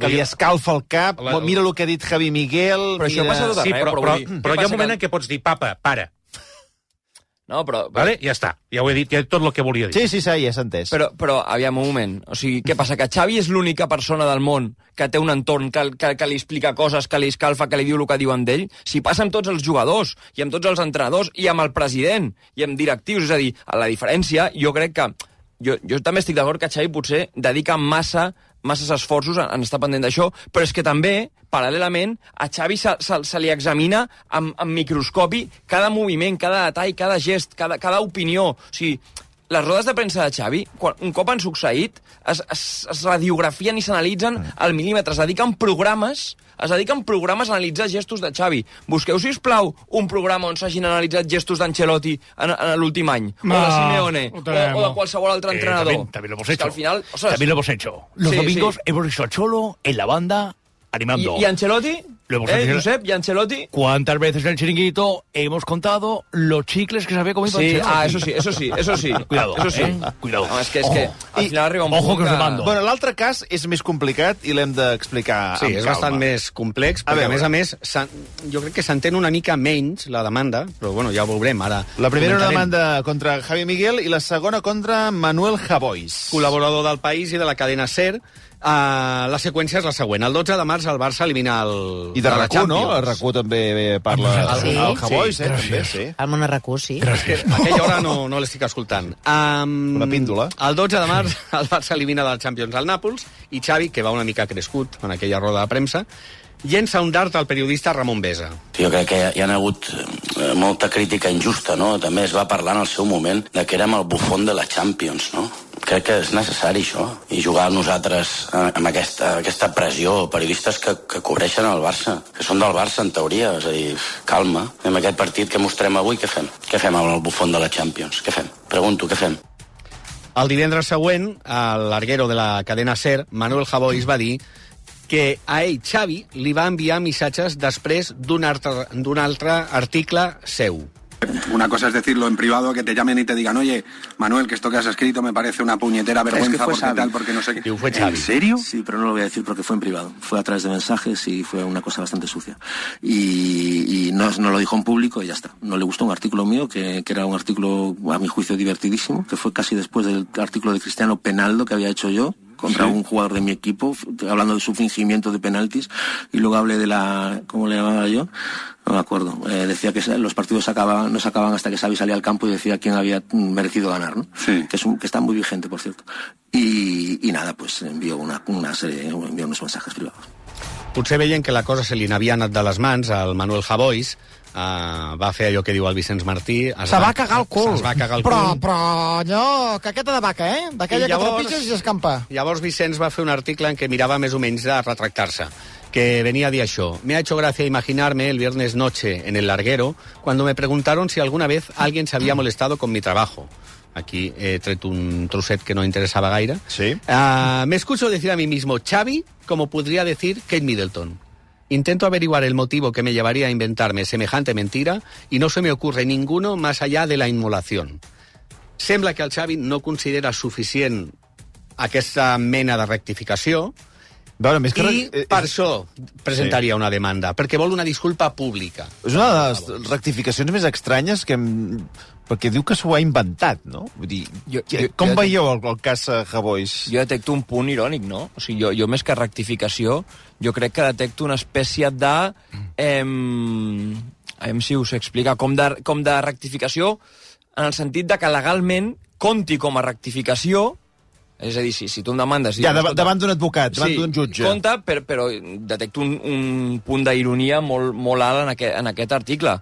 li escalfa el cap, mira el que ha dit Javi Miguel... Però això passa tot arreu, però hi ha un moment en què pots dir, papa, para. No, però... Vale? Ja està, ja ho he dit, ja tot el que volia dir. Sí, ja s'ha entès. Però, aviam, un moment. O sigui, què passa? Que Xavi és l'única persona del món que té un entorn que li explica coses, que li escalfa, que li diu el que diuen d'ell? Si passa amb tots els jugadors, i amb tots els entrenadors, i amb el president, i amb directius, és a dir, a la diferència, jo crec que... Jo també estic d'acord que Xavi potser dedica masses esforços en estar pendent d'això, però és que també, paral·lelament, a Xavi se li examina amb microscopi cada moviment, cada detall, cada gest, cada opinió. O sigui, les rodes de premsa de Xavi, un cop han succeït, es radiografien i s'analitzen al mil·límetre, es dediquen programes a analitzar gestos de Xavi. Busqueu, sisplau, un programa on s'hagin analitzat gestos d'Ancelotti en l'últim any, o de Simeone, o de qualsevol altre entrenador. También lo hemos hecho. Al final, también lo hemos hecho. Los domingos hemos visto a Cholo en la banda animando. ¿Y Ancelotti? Josep, ¿y Ancelotti? ¿Cuántas veces en el chiringuito hemos contado los chicles que se había comido Ancelotti? Eso sí. Cuidado, cuidado. No, és que al final arriba un punt Ojo que us demando. Bueno, l'altre cas és més complicat i l'hem d'explicar amb calma. Sí, és bastant més complex, perquè a més, jo crec que s'entén una mica menys la demanda, però bueno, ja ho veurem ara. La primera una demanda contra Javi Miguel i la segona contra Manuel Javois. Col·laborador del País i de la cadena SER. La seqüència és la següent. El 12 de març el Barça elimina el... I de RAC1, no? El RAC1 també parla... El Javois, també, sí. El món RAC1, sí. A aquella hora no l'estic escoltant. Una píndola. El 12 de març el Barça elimina del Champions al Nàpols i Xavi, que va una mica crescut en aquella roda de premsa, llença un dart al periodista Ramon Besa. Jo crec que hi ha hagut molta crítica injusta, no? També es va parlar en el seu moment de que érem el bufón de la Champions, no? Crec que és necessari això, i jugar nosaltres amb aquesta pressió, periodistes que cobreixen el Barça, que són del Barça en teoria, és a dir, calma, en aquest partit que mostrem avui, què fem? Què fem amb el bufón de la Champions? Què fem? Pregunto, què fem? El divendres següent, a l'arguero de la cadena SER, Manuel Javois va dir que a ell, Xavi, li va enviar missatges després d'un altre article seu. Una cosa es decirlo en privado, que te llamen y te digan, oye, Manuel, que esto que has escrito me parece una puñetera vergüenza, porque tal, porque no sé qué. ¿En serio? Sí, pero no lo voy a decir porque fue en privado. Fue a través de mensajes y fue una cosa bastante sucia. Y no lo dijo en público y ya está. No le gustó un artículo mío, que era un artículo, a mi juicio, divertidísimo, que fue casi después del artículo de Cristiano Penaldo que había hecho yo contra un jugador de mi equipo, hablando de su fingimiento de penaltis, y luego hablé de la... ¿Cómo le llamaba yo? No me acuerdo. Decía que los partidos no se acababan hasta que Xavi salía al campo y decía quién había merecido ganar, ¿no? Sí. Que está muy vigente, por cierto. Y nada, pues envió unos mensajes privados. Potser veient que la cosa se li n'havia anat de les mans al Manuel Javois, va fer allò que diu el Vicenç Martí. Se va cagar el cul. Es va cagar el cul. cul. Però allò, caqueta de vaca, d'aquella que trepitges i s'escampa. Llavors Vicenç va fer un article en què mirava més o menys de retractar-se, que venía de això. Me ha hecho gracia imaginarme el viernes noche en el larguero cuando me preguntaron si alguna vez alguien se había molestado con mi trabajo. Aquí he tret un trosset que no interesaba gaire. Sí. Me escucho decir a mí mismo Xavi, como podría decir Kate Middleton. Intento averiguar el motivo que me llevaría a inventarme semejante mentira y no se me ocurre ninguno más allá de la inmolación. Sembla que el Xavi no considera suficient aquesta mena de rectificació i per això presentaria una demanda, perquè vol una disculpa pública. És una de les rectificacions més estranyes que perquè diu que s'ho ha inventat, no? Vull dir, com veieu el cas Javois? Jo detecto un punt irònic, no? O sigui, jo més que rectificació, jo crec que detecto una espècie de... aviam si us explica, com de rectificació en el sentit de que legalment compti com a rectificació. És a dir, si tu em demandes... Ja, davant d'un advocat, davant d'un jutge. Sí, compta, però detecto un punt d'ironia molt alt en aquest article.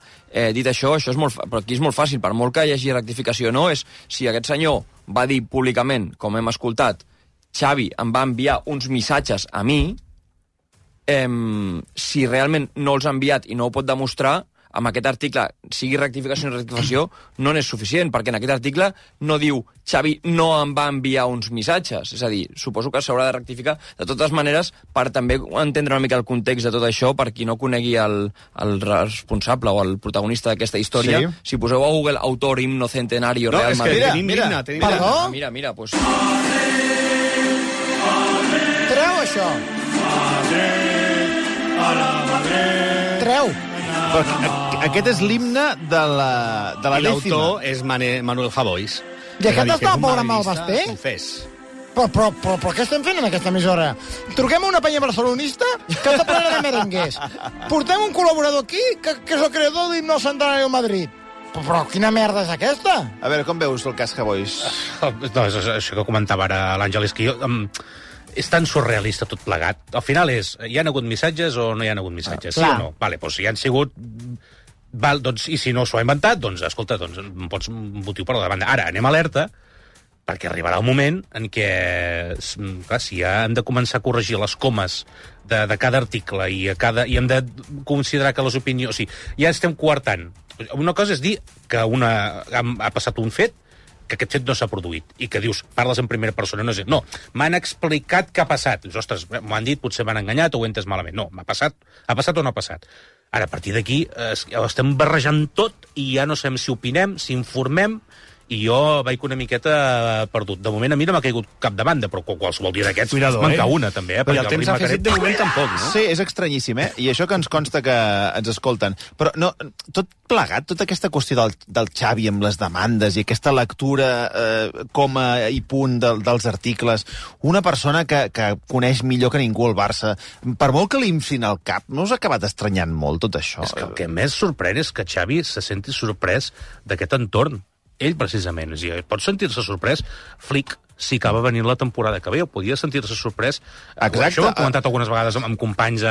Dit això és molt... Però aquí és molt fàcil, per molt que hi hagi rectificació o no, és si aquest senyor va dir públicament, com hem escoltat, Xavi em va enviar uns missatges a mi, si realment no els ha enviat i no ho pot demostrar, amb aquest article, sigui rectificació o no rectificació, no n'és suficient, perquè en aquest article no diu Xavi no em va enviar uns missatges. És a dir, suposo que s'haurà de rectificar. De totes maneres, per també entendre una mica el context de tot això, per qui no conegui el responsable o el protagonista d'aquesta història, si poseu a Google autor himno centenario Real Madrid... Perdó? Mira, pues... Treu això. Treu. Aquest és l'himne de la I dècima. l'autor és Manuel Javois. I aquest està pobre amb el Basté? Confés. Però què estem fent en aquesta emissora? Truquem a una penya barcelonista que està plena de merenguers. Portem un col·laborador aquí que és el creador d'Himno Centenario Madrid. Però quina merda és aquesta? A veure, com veus el cas Javois? No, és això que comentava ara l'Àngel, és que jo... és tan surrealista tot plegat. Al final és, hi ha hagut missatges o no hi ha hagut missatges? Sí o no? Vale, doncs si hi han sigut... Val, doncs, i si no s'ho ha inventat, doncs, escolta, doncs, pots motiu per la demanda. Ara, anem alerta, perquè arribarà un moment en què, clar, si ja hem de començar a corregir les comes de cada article i hem de considerar que les opinions... O sigui, ja estem coartant. Una cosa és dir que ha passat un fet, que aquest fet no s'ha produït, i que dius, parles en primera persona, no, m'han explicat què ha passat. Dius, ostres, m'ho han dit, potser m'han enganyat o ho he entès malament. No, ha passat o no ha passat. Ara, a partir d'aquí, estem barrejant tot i ja no sabem si opinem, si informem, i jo vaig una miqueta perdut. De moment a mi no m'ha caigut cap demanda, però qualsevol dia d'aquests manca una, també. I el temps afegit de moment tampoc, no? Sí, és estranyíssim, I això que ens consta que ens escolten. Però no, tot plegat, tota aquesta qüestió del Xavi amb les demandes i aquesta lectura coma i punt dels articles, una persona que coneix millor que ningú el Barça, per molt que li inflin al cap, no us ha acabat estranyant molt tot això? És que el que més sorprèn és que Xavi se senti sorprès d'aquest entorn. Ell, precisament, pot sentir-se sorprès, Flick, si acaba venint la temporada que ve, o podia sentir-se sorprès. Exacte. Això ho hem comentat algunes vegades amb companys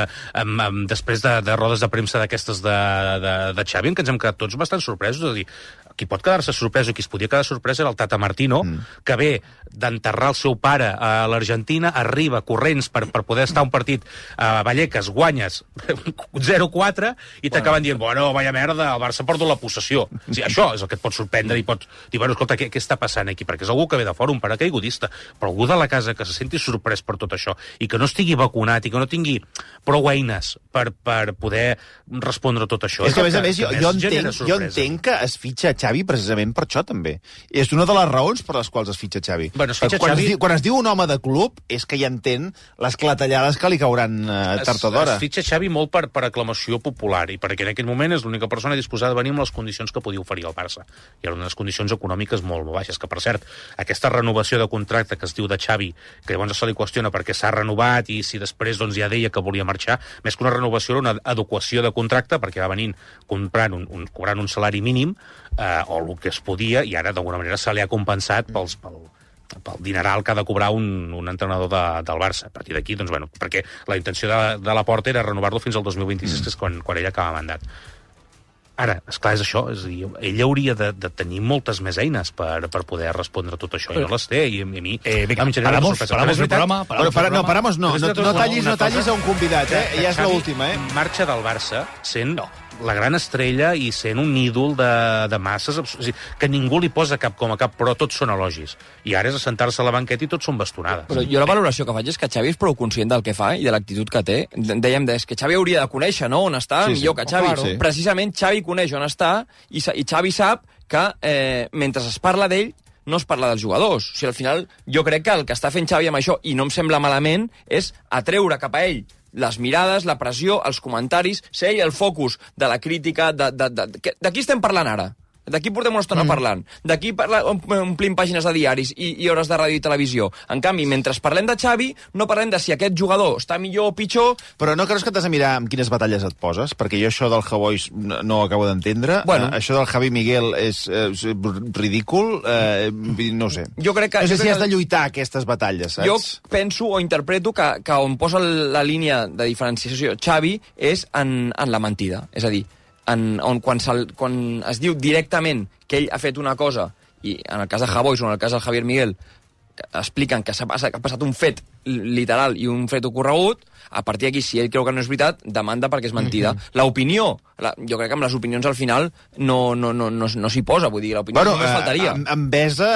després de rodes de premsa d'aquestes de Xavi, en què ens hem quedat tots bastant sorpresos. És a dir, qui pot quedar-se sorprès o qui es podia quedar sorprès era el Tata Martino, que ve d'enterrar el seu pare a l'Argentina, arriba corrents per poder estar un partit a Vallecas, guanyes 0-4 i t'acaben dient, bueno, vaya merda, el Barça ha perdut la possessió. O sigui, això és el que et pot sorprendre i pots dir, bueno, escolta, què està passant aquí? Perquè és algú que ve de fora, un paracaigudista, però algú de la casa que se senti sorprès per tot això i que no estigui vacunat i que no tingui prou eines per poder respondre a tot això. És que, a més, jo entenc que es fitxa Xavi precisament per això, també. És una de les raons per les quals es fitxa Xavi. Bueno, quan es diu un home de club, és que ja entén les clatellades que li cauran tard o d'hora. Es fitxa Xavi molt per aclamació popular, i perquè en aquell moment és l'única persona disposada a venir amb les condicions que podia oferir el Barça. I eren unes condicions econòmiques molt baixes, que, per cert, aquesta renovació de contracte que es diu de Xavi, que llavors se li qüestiona perquè s'ha renovat i si després ja deia que volia marxar, més que una renovació era una adequació de contracte, perquè va venint cobrant un salari mínim, o el que es podia, i ara d'alguna manera se li ha compensat pel dineral que ha de cobrar un entrenador del Barça. A partir d'aquí, doncs, bueno, perquè la intenció de Laporta era renovar-lo fins al 2026, que és quan ell acaba mandat. Ara, esclar, és això, és a dir, ell hauria de tenir moltes més eines per poder respondre a tot això, i no les té, i a mi... Paramos el programa. No, paramos no. No tallis a un convidat, ja és l'última, Marxa del Barça sent la gran estrella i sent un ídol de masses, o sigui, que ningú li posa cap com a cap, però tots són elogis. I ara és assentar-se a la banqueta i tots són bastonades. Però jo la valoració que faig és que Xavi és prou conscient del que fa i de l'actitud que té. Dèiem que Xavi hauria de conèixer, no?, on està, millor que Xavi. Claro. Precisament Xavi coneix on està i Xavi sap que mentre es parla d'ell no es parla dels jugadors. O sigui, al final, jo crec que el que està fent Xavi amb això, i no em sembla malament, és atreure cap a ell les mirades, la pressió, els comentaris, ser ell el focus de la crítica... De qui estem parlant ara? D'aquí portem una estona parlant. D'aquí omplim pàgines de diaris i hores de ràdio i televisió. En canvi, mentre parlem de Xavi, no parlem de si aquest jugador està millor o pitjor... Però no creus que t'has de mirar amb quines batalles et poses? Perquè jo això del Javois no ho acabo d'entendre. Bueno. Això del Javi Miguel és ridícul. No ho sé. Jo crec que... No sé si has de lluitar aquestes batalles, saps? Jo penso o interpreto que on posa la línia de diferenciació Xavi és en la mentida. És a dir, quan es diu directament que ell ha fet una cosa, i en el cas de Javois o en el cas del Javier Miguel expliquen que ha passat un fet literal i un fet ocorregut, a partir d'aquí, si ell creu que no és veritat, demanda perquè és mentida. L'opinió, jo crec que amb les opinions al final no s'hi posa, vull dir, l'opinió només faltaria. Envesa,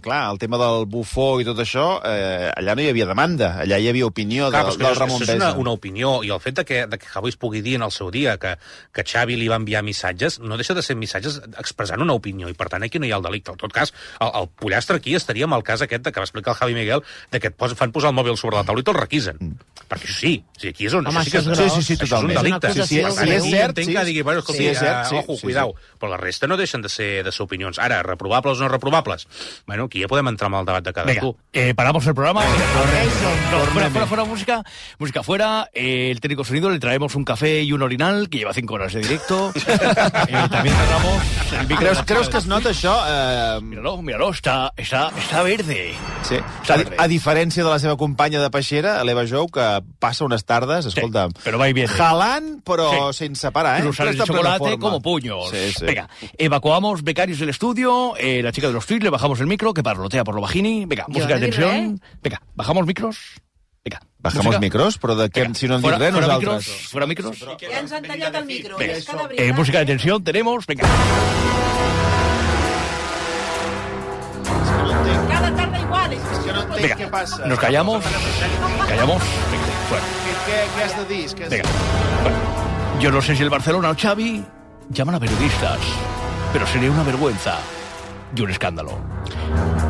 clar, el tema del bufó i tot això, allà no hi havia demanda, allà hi havia opinió del Ramon Besa. És una opinió, i el fet que Javois pugui dir en el seu dia que Xavi li va enviar missatges, no deixa de ser missatges expressant una opinió, i per tant aquí no hi ha el delicte. En tot cas, el pollastre aquí estaria amb el cas aquest que va explicar el Javi Miguel, que et fan posar el mòbil sobre la taula i te'l requisen. Perquè això sí, aquí és on... Home, això sí, totalment. Això és un delicte. Si és cert, entenc que digui, bueno, escolta, ojo, cuidao. Però la resta no deixen de ser opinions. Ara, reprobables o no reprobables? Bueno, aquí ja podem entrar en el debat de cadascú. Paramos el programa. Fuera música fuera. El técnico sonido le traemos un café y un orinal, que lleva 5 horas de directo. También cerramos el micro. ¿Creus que es nota això? Míralo, está verde. Sí. A diferència de la seva companya de peixera, l'Eva Jou, que passa unes tardes, escolta, pero va y viene. Jalant, però sense parar, Cruzar el chocolate como puños. Sí. Venga, evacuamos becarios del estudio, la chica de los tweets, le bajamos el micro, que parlotea por lo bajini. Venga, música de tensión. Venga, bajamos micros. Venga. Bajamos micros? Però de què, si no en dic res, nosaltres? Fuera micros. Ja ens han tallat el micro. Venga, música de tensión tenemos. Venga. Cada tarde igual. Venga, què passa? Nos callamos. Venga, fuera. ¿Qué has de dir? Venga, bueno, yo no sé si el Barcelona o Xavi llaman a periodistas, pero sería una vergüenza y un escándalo.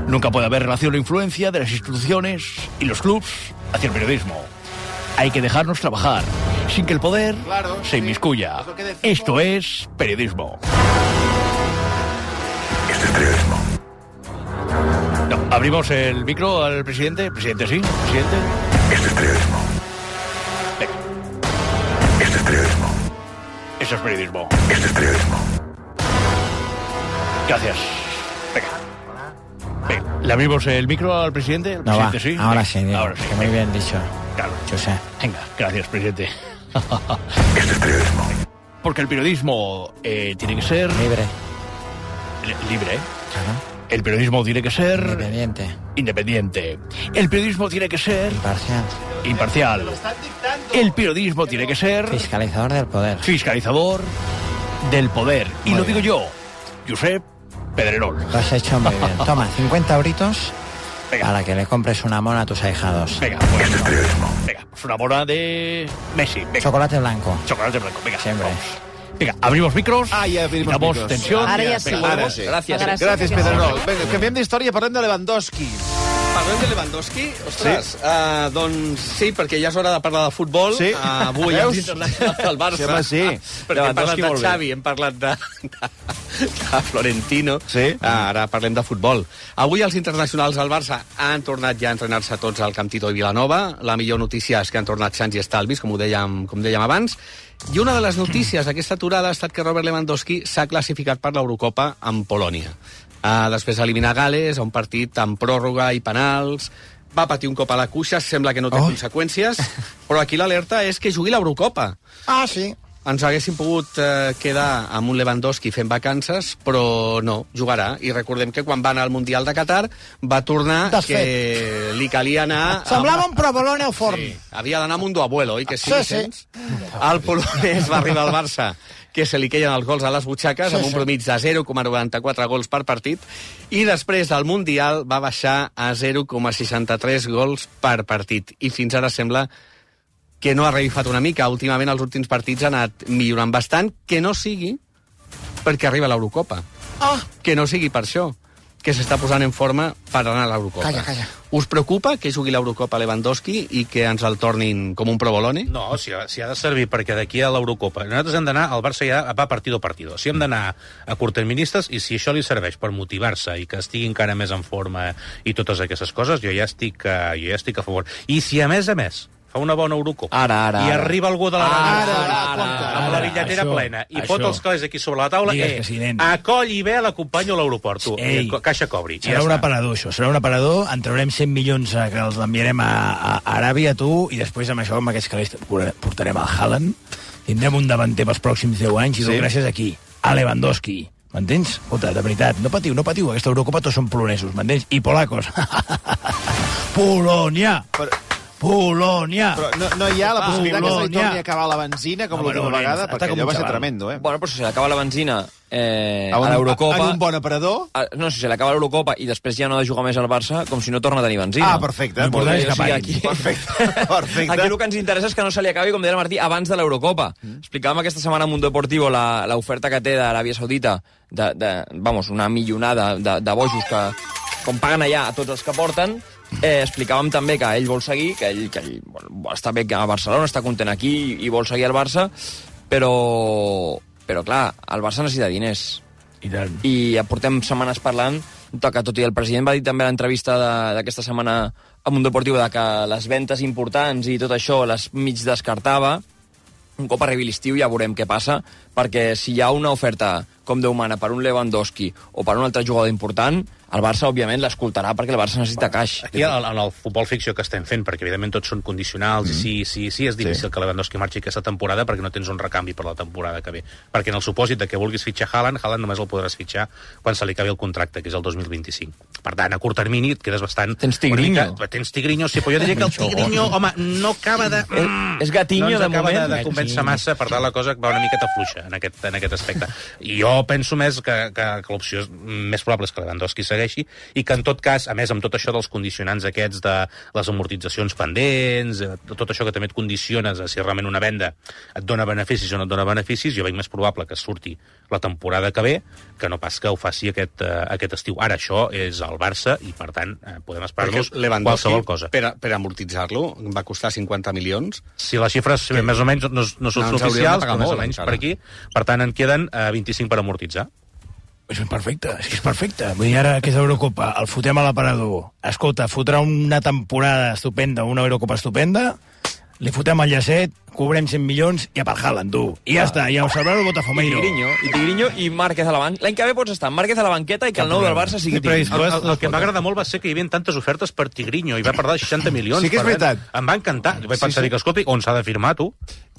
Nunca puede haber relación o influencia de las instituciones y los clubs hacia el periodismo. Hay que dejarnos trabajar, sin que el poder se inmiscuya. Esto es periodismo. Esto es periodismo. No, abrimos el micro al presidente. Presidente, sí. Presidente. Esto es periodismo. Venga. Esto es periodismo. Eso es periodismo. Esto es periodismo. Gracias. Venga. ¿Le abrimos el micro al presidente? ¿El presidente sí? Ahora sí, Diego, ahora sí. que muy bien dicho. Claro. Yo sé. Venga, gracias, presidente. Esto es periodismo. Porque el periodismo tiene que ser... Libre. Libre, ¿eh? Claro. El periodismo tiene que ser... Independiente. El periodismo tiene que ser... Imparcial. El periodismo tiene que ser... Fiscalizador del poder. Fiscalizador del poder. Y lo digo yo, Josep Pedrerol. Lo has hecho muy bien. Toma, 50 euritos para que le compres una mona a tus ahijados. Venga, pues, Esto es periodismo. Venga, pues una mona de Messi. Venga. Chocolate blanco. Chocolate blanco, venga. Siempre. Vamos. Venga, abrimos micros. Ja abrimos damos micros. tensión. Ara ja sí. Ara sí. Gràcies, Pedrerol. Vinga, canviem d'història, parlem de Lewandowski. Parlem de Lewandowski? Ostres, doncs sí, perquè ja és hora de parlar de futbol. Sí. Avui els internacionals del Barça. Sí. Perquè hem parlat de Xavi, hem parlat de Florentino. Sí. Ara parlem de futbol. Avui els internacionals del Barça han tornat ja a entrenar-se tots al Camp Tito i Vilanova. La millor notícia és que han tornat sans i estalvis, com dèiem abans. I una de les notícies d'aquesta aturada ha estat que Robert Lewandowski s'ha classificat per l'Eurocopa amb Polònia. Després eliminar Gales, a un partit amb pròrroga i penals. Va patir un cop a la cuixa, sembla que no té conseqüències, però aquí l'alerta és que jugui l'Eurocopa. Ah, sí. Ens haguéssim pogut quedar amb un Lewandowski fent vacances, però no, jugarà. I recordem que quan va anar al Mundial de Qatar va tornar que li calia anar... Semblava un provolone al forn. Sí, havia d'anar amb un duabuelo, oi? Que sí, sí. El polonès va arribar al Barça, que se li queien els gols a les butxaques, amb un promig de 0,94 gols per partit, i després del Mundial va baixar a 0,63 gols per partit. I fins ara sembla que no ha revifat una mica. Últimament, els últims partits han anat millorant bastant, que no sigui perquè arriba l'Eurocopa. Que no sigui per això, que s'està posant en forma per anar a l'Eurocopa. Calla. Us preocupa que jugui l'Eurocopa Lewandowski i que ens el tornin com un provolone? No, si ha de servir perquè d'aquí a l'Eurocopa nosaltres hem d'anar, el Barça ja va partido a partido. Si hem d'anar a curtterministes i si això li serveix per motivar-se i que estigui encara més en forma i totes aquestes coses, jo ja estic a favor. I si a més fa una bona Eurocopa i arriba algú de amb la bitlletera plena i pot els calés aquí sobre la taula, acoll i ve, l'acompanyo a l'aeroport, caixa cobri. Serà un aparador, això, serà un aparador, en traurem 100 milions que els enviarem a Aràbia, tu, i després amb això, amb aquests calés, portarem al Haaland, tindrem un davanter pels pròxims 10 anys, i tot gràcies aquí, a Lewandowski. M'entens? Escolta, de veritat, no patiu, aquesta Eurocopa tots són polonesos, m'entens? I polacos. Polònia! Polònia! Però no hi ha la possibilitat que se li torni a acabar la benzina com l'última vegada, perquè allò va ser tremendo, Bueno, però si se li acaba la benzina a l'Eurocopa... En un bon aparador? No, si se li acaba l'Eurocopa i després ja no ha de jugar més al Barça, com si no torna a tenir benzina. Perfecte. Perfecte. Aquí el que ens interessa és que no se li acabi, com deia el Martí, abans de l'Eurocopa. Explicàvem aquesta setmana a Mundo Deportivo l'oferta que té d'Aràbia Saudita, una milionada de bojos que, com paguen allà a tots els que porten. Explicàvem també que ell vol seguir, que ell està bé a Barcelona, està content aquí i vol seguir al Barça, però clar, el Barça necessita diners. I ja portem setmanes parlant que, tot i el president va dir també a l'entrevista d'aquesta setmana a Mundo Deportivo que les ventes importants i tot això les mig descartava, un cop arribi l'estiu ja veurem què passa, perquè si hi ha una oferta com Déu mana per un Lewandowski o per un altre jugador important, el Barça, òbviament, l'escoltarà perquè el Barça necessita caix. Aquí, en el futbol ficció que estem fent, perquè evidentment tots són condicionals, i sí, és difícil que Lewandowski marxi aquesta temporada perquè no tens un recanvi per la temporada que ve. Perquè en el supòsit de que vulguis fitxar Haaland només el podràs fitxar quan se li acabi el contracte, que és el 2025. Per tant, a curt termini et quedes bastant... Tens Tigrinho. Tens Tigrinho, sí, però jo diria que el Tigrinho, home, no acaba de... És gatinho, de moment. No ens acaba de convèncer massa, per tant la cosa va una miqueta fluixa en aquest aspecte. I jo penso més que l'opció més probable és que Lewandowski segueixi i que en tot cas, a més, amb tot això dels condicionants aquests de les amortitzacions pendents, tot això que també et condiciones a si realment una venda et dona beneficis o no et dona beneficis, jo veig més probable que surti la temporada que ve que no pas que ho faci aquest estiu. Ara, això és el Barça i, per tant, podem esperar-nos qualsevol cosa. Per amortitzar-lo va costar 50 milions. Si les xifres més o menys no són oficials, però més o menys per aquí. Per tant, en queden 25 per amortitzar. És perfecte, és perfecte. Vull dir, ara aquesta Eurocopa el fotem a l'aparador. Escolta, fotrà una temporada estupenda, una Eurocopa estupenda, li fotem el llacet, cobrem 100 milions i a per Haaland, tu. I ja està, i a observar el Botafomeiro. I Tigrinho i Márquez a la banqueta. L'any que ve pots estar Márquez a la banqueta i que el nou del Barça sigui Tigrinho. El que m'agrada molt va ser que hi havia tantes ofertes per Tigrinho i va parlar de 60 milions. Sí que és veritat. Em va encantar. Jo vaig pensar, escolta, on s'ha de firmar, tu?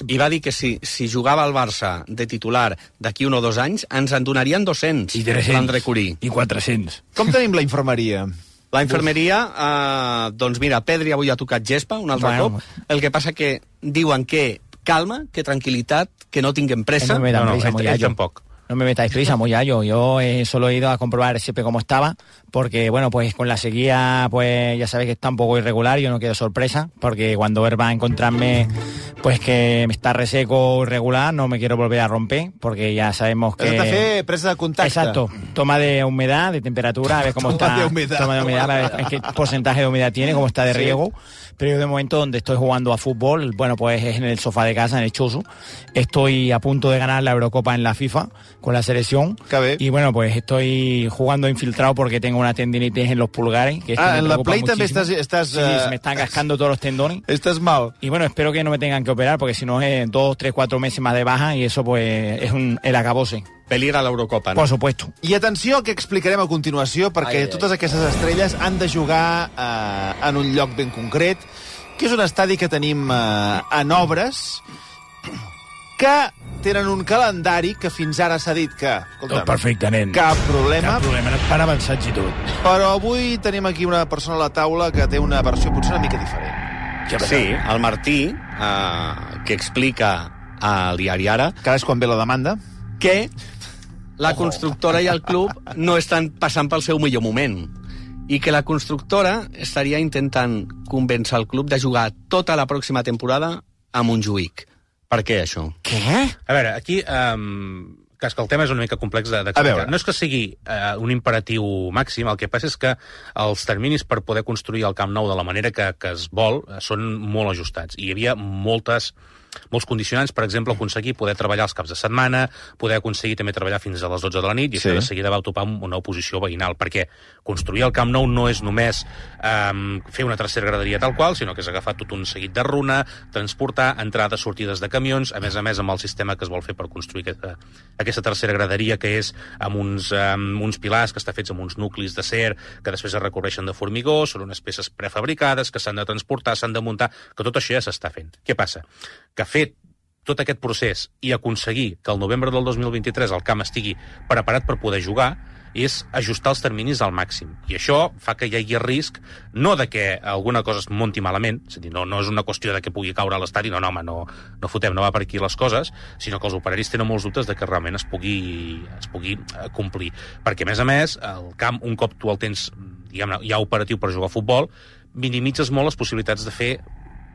I va dir que si jugava al Barça de titular d'aquí 1 o 2 anys, ens en donarien 200. I 300. I 400. Com tenim la infermeria? La infermeria, doncs mira, Pedri avui ha tocat gespa un altre cop. El que passa que diuen que calma, que tranquil·litat, que no tinguem pressa. Tampoc. No me metáis prisa, Moyallo. Yo solo he ido a comprobar siempre cómo estaba, porque, bueno, pues con la sequía, pues ya sabéis que está un poco irregular, yo no quiero sorpresa, porque cuando él va a encontrarme, pues que está reseco irregular, no me quiero volver a romper, porque ya sabemos que... Has de fer presa de contacte. Exacto. Toma de humedad, de temperatura, a ver cómo está... Toma de humedad, a ver qué porcentaje de humedad tiene, cómo está de riego. Pero yo de momento donde estoy jugando a fútbol, bueno, pues es en el sofá de casa, en el Choso. Estoy a punto de ganar la Eurocopa en la FIFA con la selección. Y bueno, pues estoy jugando infiltrado porque tengo una tendinitis en los pulgares. Que en la Play también estás... Sí, se me están cascando todos los tendones. Estás mal. Y bueno, espero que no me tengan que operar porque si no es 2, 3, 4 meses más de baja y eso pues es el acabose. Peligro a l'Eurocopa, no? Por supuesto. I atenció al que explicarem a continuació, perquè totes aquestes estrelles han de jugar en un lloc ben concret, que és un estadi que tenim en obres, que tenen un calendari que fins ara s'ha dit que... Tot perfecte, nen. Cap problema. Cap problema, per avançats i tot. Però avui tenim aquí una persona a la taula que té una versió potser una mica diferent. Sí, el Martí, que explica al diari Ara... Que és quan ve la demanda. Que la constructora i el club no estan passant pel seu millor moment i que la constructora estaria intentant convèncer el club de jugar tota la pròxima temporada a Montjuïc. Per què, això? Què? A veure, aquí... que el tema és una mica complex d'explicar. No és que sigui un imperatiu màxim, el que passa és que els terminis per poder construir el Camp Nou de la manera que es vol són molt ajustats. I hi havia molts condicionants, per exemple, aconseguir poder treballar els caps de setmana, poder aconseguir també treballar fins a les 12 de la nit, i això de seguida va topar amb una oposició veïnal, perquè construir el Camp Nou no és només fer una tercera graderia tal qual, sinó que és agafar tot un seguit de runa, transportar entrades, sortides de camions, a més amb el sistema que es vol fer per construir aquesta tercera graderia, que és amb uns pilars que està fets amb uns nuclis d'acer, que després es recobreixen de formigó, són unes peces prefabricades que s'han de transportar, s'han de muntar, que tot això ja s'està fent. Què passa? Que fer tot aquest procés i aconseguir que el novembre del 2023 el camp estigui preparat per poder jugar és ajustar els terminis al màxim. I això fa que hi hagi risc, no de que alguna cosa es munti malament, és a dir, no és una qüestió de que pugui caure a l'estadi, no fotem, no va per aquí les coses, sinó que els operaris tenen molts dubtes de que realment es pugui complir. Perquè, a més, el camp, un cop tu el tens ja operatiu per jugar a futbol, minimitzes molt les possibilitats de fer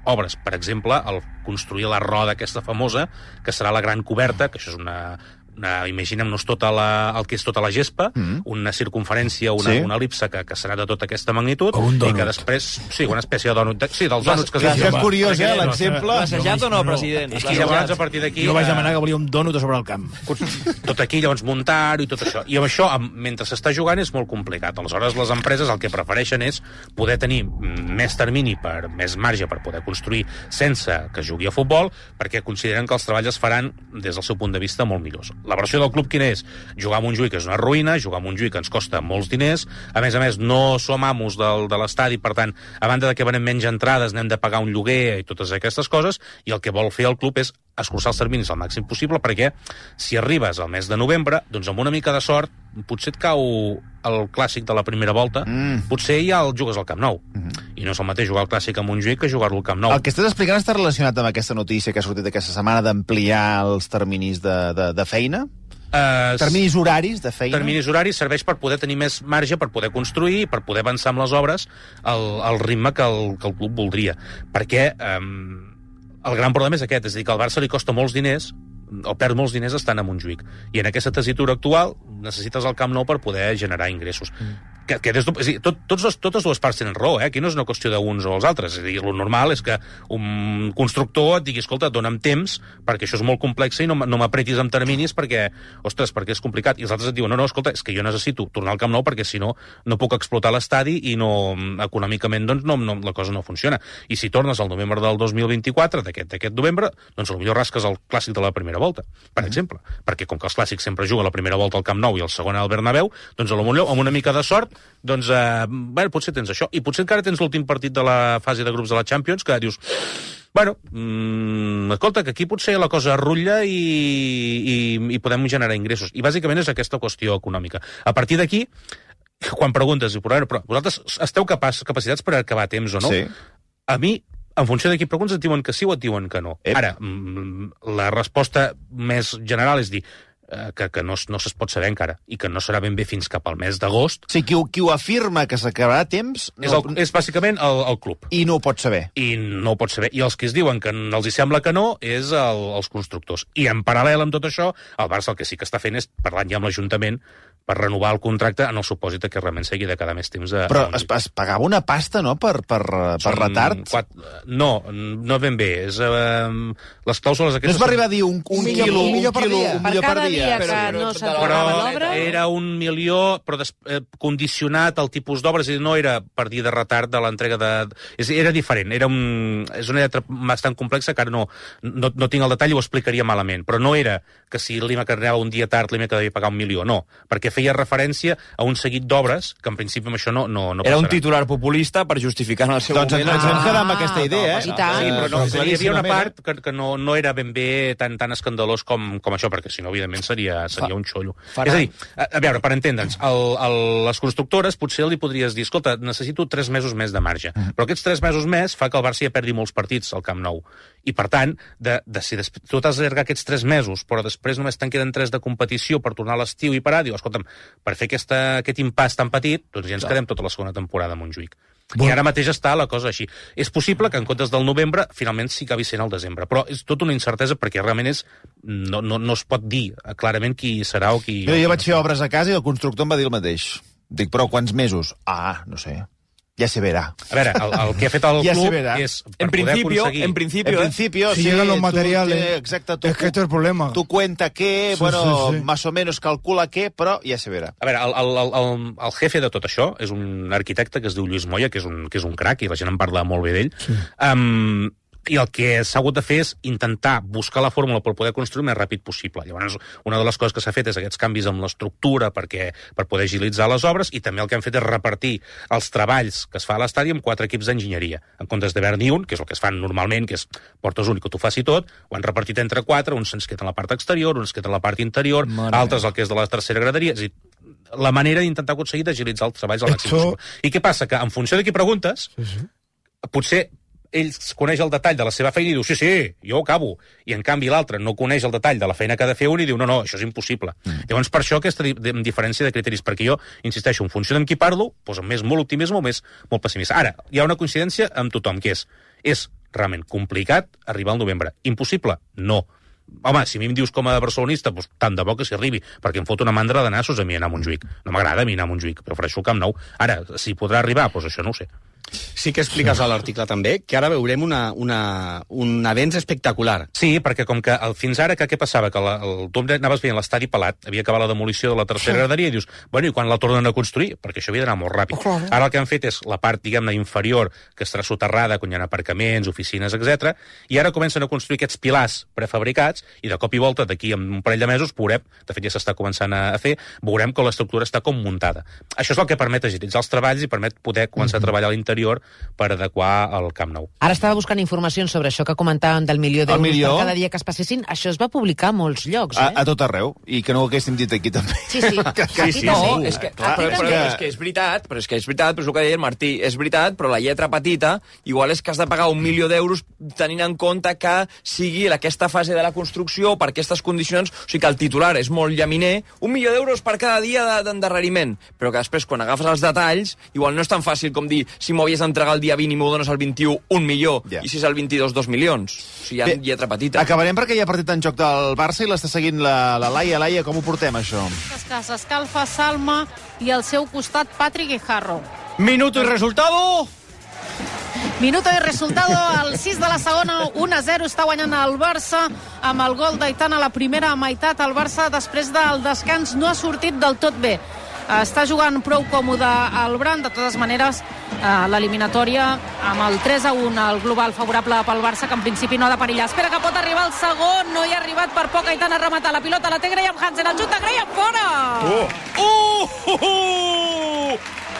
obres. Per exemple, el construir la roda aquesta famosa, que serà la gran coberta, que això és imaginem-nos el que és tota la gespa, una circunferència, una elipse que serà de tota aquesta magnitud, i que després, una espècie de dònut, dels dònuts que és curiós, l'exemple. Passejat o no, president? I llavors, a partir d'aquí... Jo vaig demanar que volia un dònut sobre el camp. Tot aquí, llavors, muntar-ho i tot això. I amb això, mentre s'està jugant, és molt complicat. Aleshores, les empreses el que prefereixen és poder tenir més termini, més marge per poder construir sense que jugui a futbol, perquè consideren que els treballs es faran des del seu punt de vista molt millors. La versió del club quina és? Jugar a Montjuïc és una ruïna, jugar a Montjuïc ens costa molts diners, a més, no som amos de l'estadi, per tant, a banda de que venem menys entrades, n'hem de pagar un lloguer i totes aquestes coses, i el que vol fer el club és escurçar els terminis al màxim possible, perquè si arribes al mes de novembre, doncs amb una mica de sort, potser et cau el clàssic de la primera volta, potser ja el jugues al Camp Nou. I no és el mateix jugar el clàssic a Montjuïc que jugar-lo al Camp Nou. El que estàs explicant està relacionat amb aquesta notícia que ha sortit aquesta setmana d'ampliar els terminis de feina? Terminis horaris de feina? Terminis horaris serveix per poder tenir més marge, per poder construir, per poder avançar amb les obres al ritme que el club voldria. Perquè el gran problema és aquest, és a dir, que al Barça li costa molts diners, o perd molts diners estant a Montjuïc. I en aquesta tessitura actual necessites el Camp Nou per poder generar ingressos. Totes dues parts tenen raó, aquí no és una qüestió d'uns o els altres. És a dir, el normal és que un constructor et digui, escolta, dona'm temps, perquè això és molt complex i no m'apretis amb terminis perquè és complicat. I els altres et diuen, no, escolta, és que jo necessito tornar al Camp Nou perquè si no puc explotar l'estadi i econòmicament la cosa no funciona. I si tornes al novembre del 2024, d'aquest novembre, doncs potser rasques el clàssic de la primera volta, per exemple. Perquè com que els clàssics sempre juguen la primera volta al Camp Nou i el segon al Bernabéu, doncs potser amb una mica de sort doncs, potser tens això. I potser encara tens l'últim partit de la fase de grups de la Champions, que dius, escolta, que aquí potser la cosa rutlla i podem generar ingressos. I bàsicament és aquesta qüestió econòmica. A partir d'aquí, quan preguntes, però vosaltres esteu capacitats per acabar a temps o no? Sí. A mi, en funció de qui preguntes, et diuen que sí o et diuen que no. Ara, la resposta més general és dir que no es pot saber encara i que no serà ben bé fins cap al mes d'agost. Sí, qui ho afirma que s'acabarà a temps... És bàsicament el club. I no ho pot saber. I no ho pot saber. I els que es diuen que els hi sembla que no és els constructors. I en paral·lel amb tot això, el Barça el que sí que està fent és parlant ja amb l'Ajuntament per renovar el contracte en el supòsit que realment s'hagi de quedar més temps a... Però es pagava una pasta, no?, per retard? No ben bé. Les clàusules aquestes... No es va arribar a dir un milió per dia? Per cada dia que no s'acabava l'obra? Era 1 milió, però condicionat al tipus d'obres, i no era per dir de retard de l'entrega de... Era diferent. És una lletra bastant complexa, que ara no tinc el detall i ho explicaria malament, però no era que si l'IMEC anava un dia tard l'IMEC devia pagar 1 milió, no, perquè feia referència a un seguit d'obres que en principi amb això no passarà. Era un titular populista per justificar en el seu moment... Doncs ens vam quedar amb aquesta idea, Sí, però hi havia una part que no era ben bé tan escandalós com això, perquè si no, evidentment, seria un xollo. És a dir, a veure, per entendre'ns, les constructores potser li podries dir, escolta, necessito 3 mesos més de marge, però aquests 3 mesos més fa que el Barça ja perdi molts partits al Camp Nou. I, per tant, si tu t'has d'allargar aquests 3 mesos, però després només te'n queden 3 de competició per tornar a l'estiu i parar, diu, escolta'm, per fer aquest impàs tan petit, doncs ja ens quedem tota la segona temporada a Montjuïc. I ara mateix està la cosa així. És possible que en comptes del novembre, finalment sí acabi sent el desembre, però és tota una incertesa perquè realment no es pot dir clarament qui serà o qui... Jo vaig fer obres a casa i el constructor em va dir el mateix. Dic, però quants mesos? No sé. Ya se verá. A ver, el que ha fet el club es en principio, si llegan los materiales, exacto, es que este es el problema. Tú cuenta que, más o menos calcula que, però ja se verá. A veure, el jefe de tot això és un arquitecte que es diu Lluís Moya, que és un crac, i la gent en parla molt bé d'ell. Sí. I el que s'ha hagut de fer és intentar buscar la fórmula per poder construir el més ràpid possible. Llavors, una de les coses que s'ha fet és aquests canvis amb l'estructura per poder agilitzar les obres, i també el que han fet és repartir els treballs que es fa a l'estadi amb 4 equips d'enginyeria. En comptes d'haver-n'hi un, que és el que es fan normalment, que és portes únic que t'ho faci tot, ho han repartit entre 4, uns se'ns queden a la part exterior, uns queden a la part interior, altres el que és de la tercera graderia. És a dir, la manera d'intentar aconseguir d'agilitzar els treballs al màxim possible. I què passa? Que en funció de qui preguntes, potser ell coneix el detall de la seva feina i diu, sí, jo ho acabo. I, en canvi, l'altre no coneix el detall de la feina que ha de fer un i diu, no, això és impossible. Llavors, per això aquesta diferència de criteris, perquè jo, insisteixo, en funció d'en qui parlo, doncs amb molt optimisme o molt pessimista. Ara, hi ha una coincidència amb tothom, que és realment complicat arribar al novembre. Impossible? No. Home, si a mi em dius com a barcelonista, doncs tant de bo que s'hi arribi, perquè em fot una mandra de nassos a mi anar a Montjuïc. No m'agrada a mi anar a Montjuïc, prefereixo el Camp Nou. Ara, si podrà arribar, doncs això no ho sé. Sí que expliques a l'article també que ara veurem un avenç espectacular. Sí, perquè com que fins ara què passava? Que tu anaves veient l'estadi pelat, havia acabat la demolició de la tercera graderia i dius, bueno, i quan la tornen a construir? Perquè això havia d'anar molt ràpid. Ara el que han fet és la part, diguem-ne, inferior, que estarà soterrada, quan hi ha aparcaments, oficines, etc. I ara comencen a construir aquests pilars prefabricats i de cop i volta, d'aquí a un parell de mesos, veurem, de fet ja s'està començant a fer, veurem que l'estructura està com muntada. Això és el que permet agilitzar els treballs i permet poder començar a treballar a l'interior per adequar el Camp Nou. Ara estava buscant informacions sobre això que comentàvem del milió d'euros per cada dia que es passessin. Això es va publicar a molts llocs, A tot arreu. I que no ho haguéssim dit aquí també. Sí. No, és que és veritat, però és el que deia el Martí, és veritat, però la lletra petita, igual és que has de pagar 1 milió d'euros tenint en compte que sigui aquesta fase de la construcció per aquestes condicions, o sigui que el titular és molt llaminer, 1 milió d'euros per cada dia d'endarreriment, però que després, quan agafes els detalls, igual no és tan fàcil com dir, si m'ho havies d'entregar el dia 20 i m'ho dones el 21, 1 milió, i si és el 22, 2 milions. O sigui, hi ha lletra petita. Acabarem perquè hi ha partit en joc del Barça i l'està seguint la Laia. Laia, com ho portem, això? S'escalfa Salma i al seu costat Patrick Guijarro. Minuto y resultado... Minuto i resultado, al 6 de la segona, 1-0, està guanyant el Barça amb el gol d'Aitana a la primera meitat. El Barça, després del descans, no ha sortit del tot bé. Està jugant prou còmode el Bran. De totes maneres, l'eliminatòria amb el 3-1, el global favorable pel Barça, que en principi no ha de perillar. Espera que pot arribar el segon, no hi ha arribat per poc. Aitana a rematar, la pilota la té Graham Hansen, el xut de Graham fora!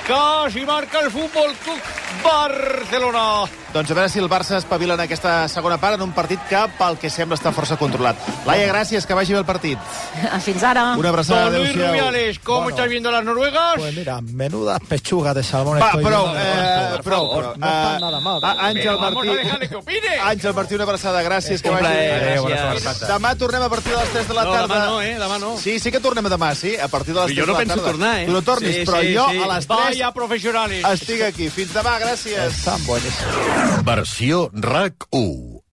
Quasi marca el Futbol Club Barcelona. Doncs a veure si el Barça espavila en aquesta segona part en un partit que, pel que sembla, està força controlat. Laia, gràcies, que vagi bé el partit. Fins ara. Una abraçada, Don Luis Rubiales, ¿cómo estás viendo las noruegas? Pues mira, menudas pechugas de salmón. Prou. No están nada mal. Àngel Martí. Vamos a dejarle que opine. Àngel Martí, una abraçada, gràcies, que vagi bé. Demà tornem a partir de les 3 de la tarda. No, demà no. Sí que tornem demà, sí, a partir de les 3 de la tarda. Jo no penso tornar, Tu no tornis, però jo a les 3 Vaya profesionales. estic aquí. Fins demà, gràcies. Estan boníssims. Versió RAC 1.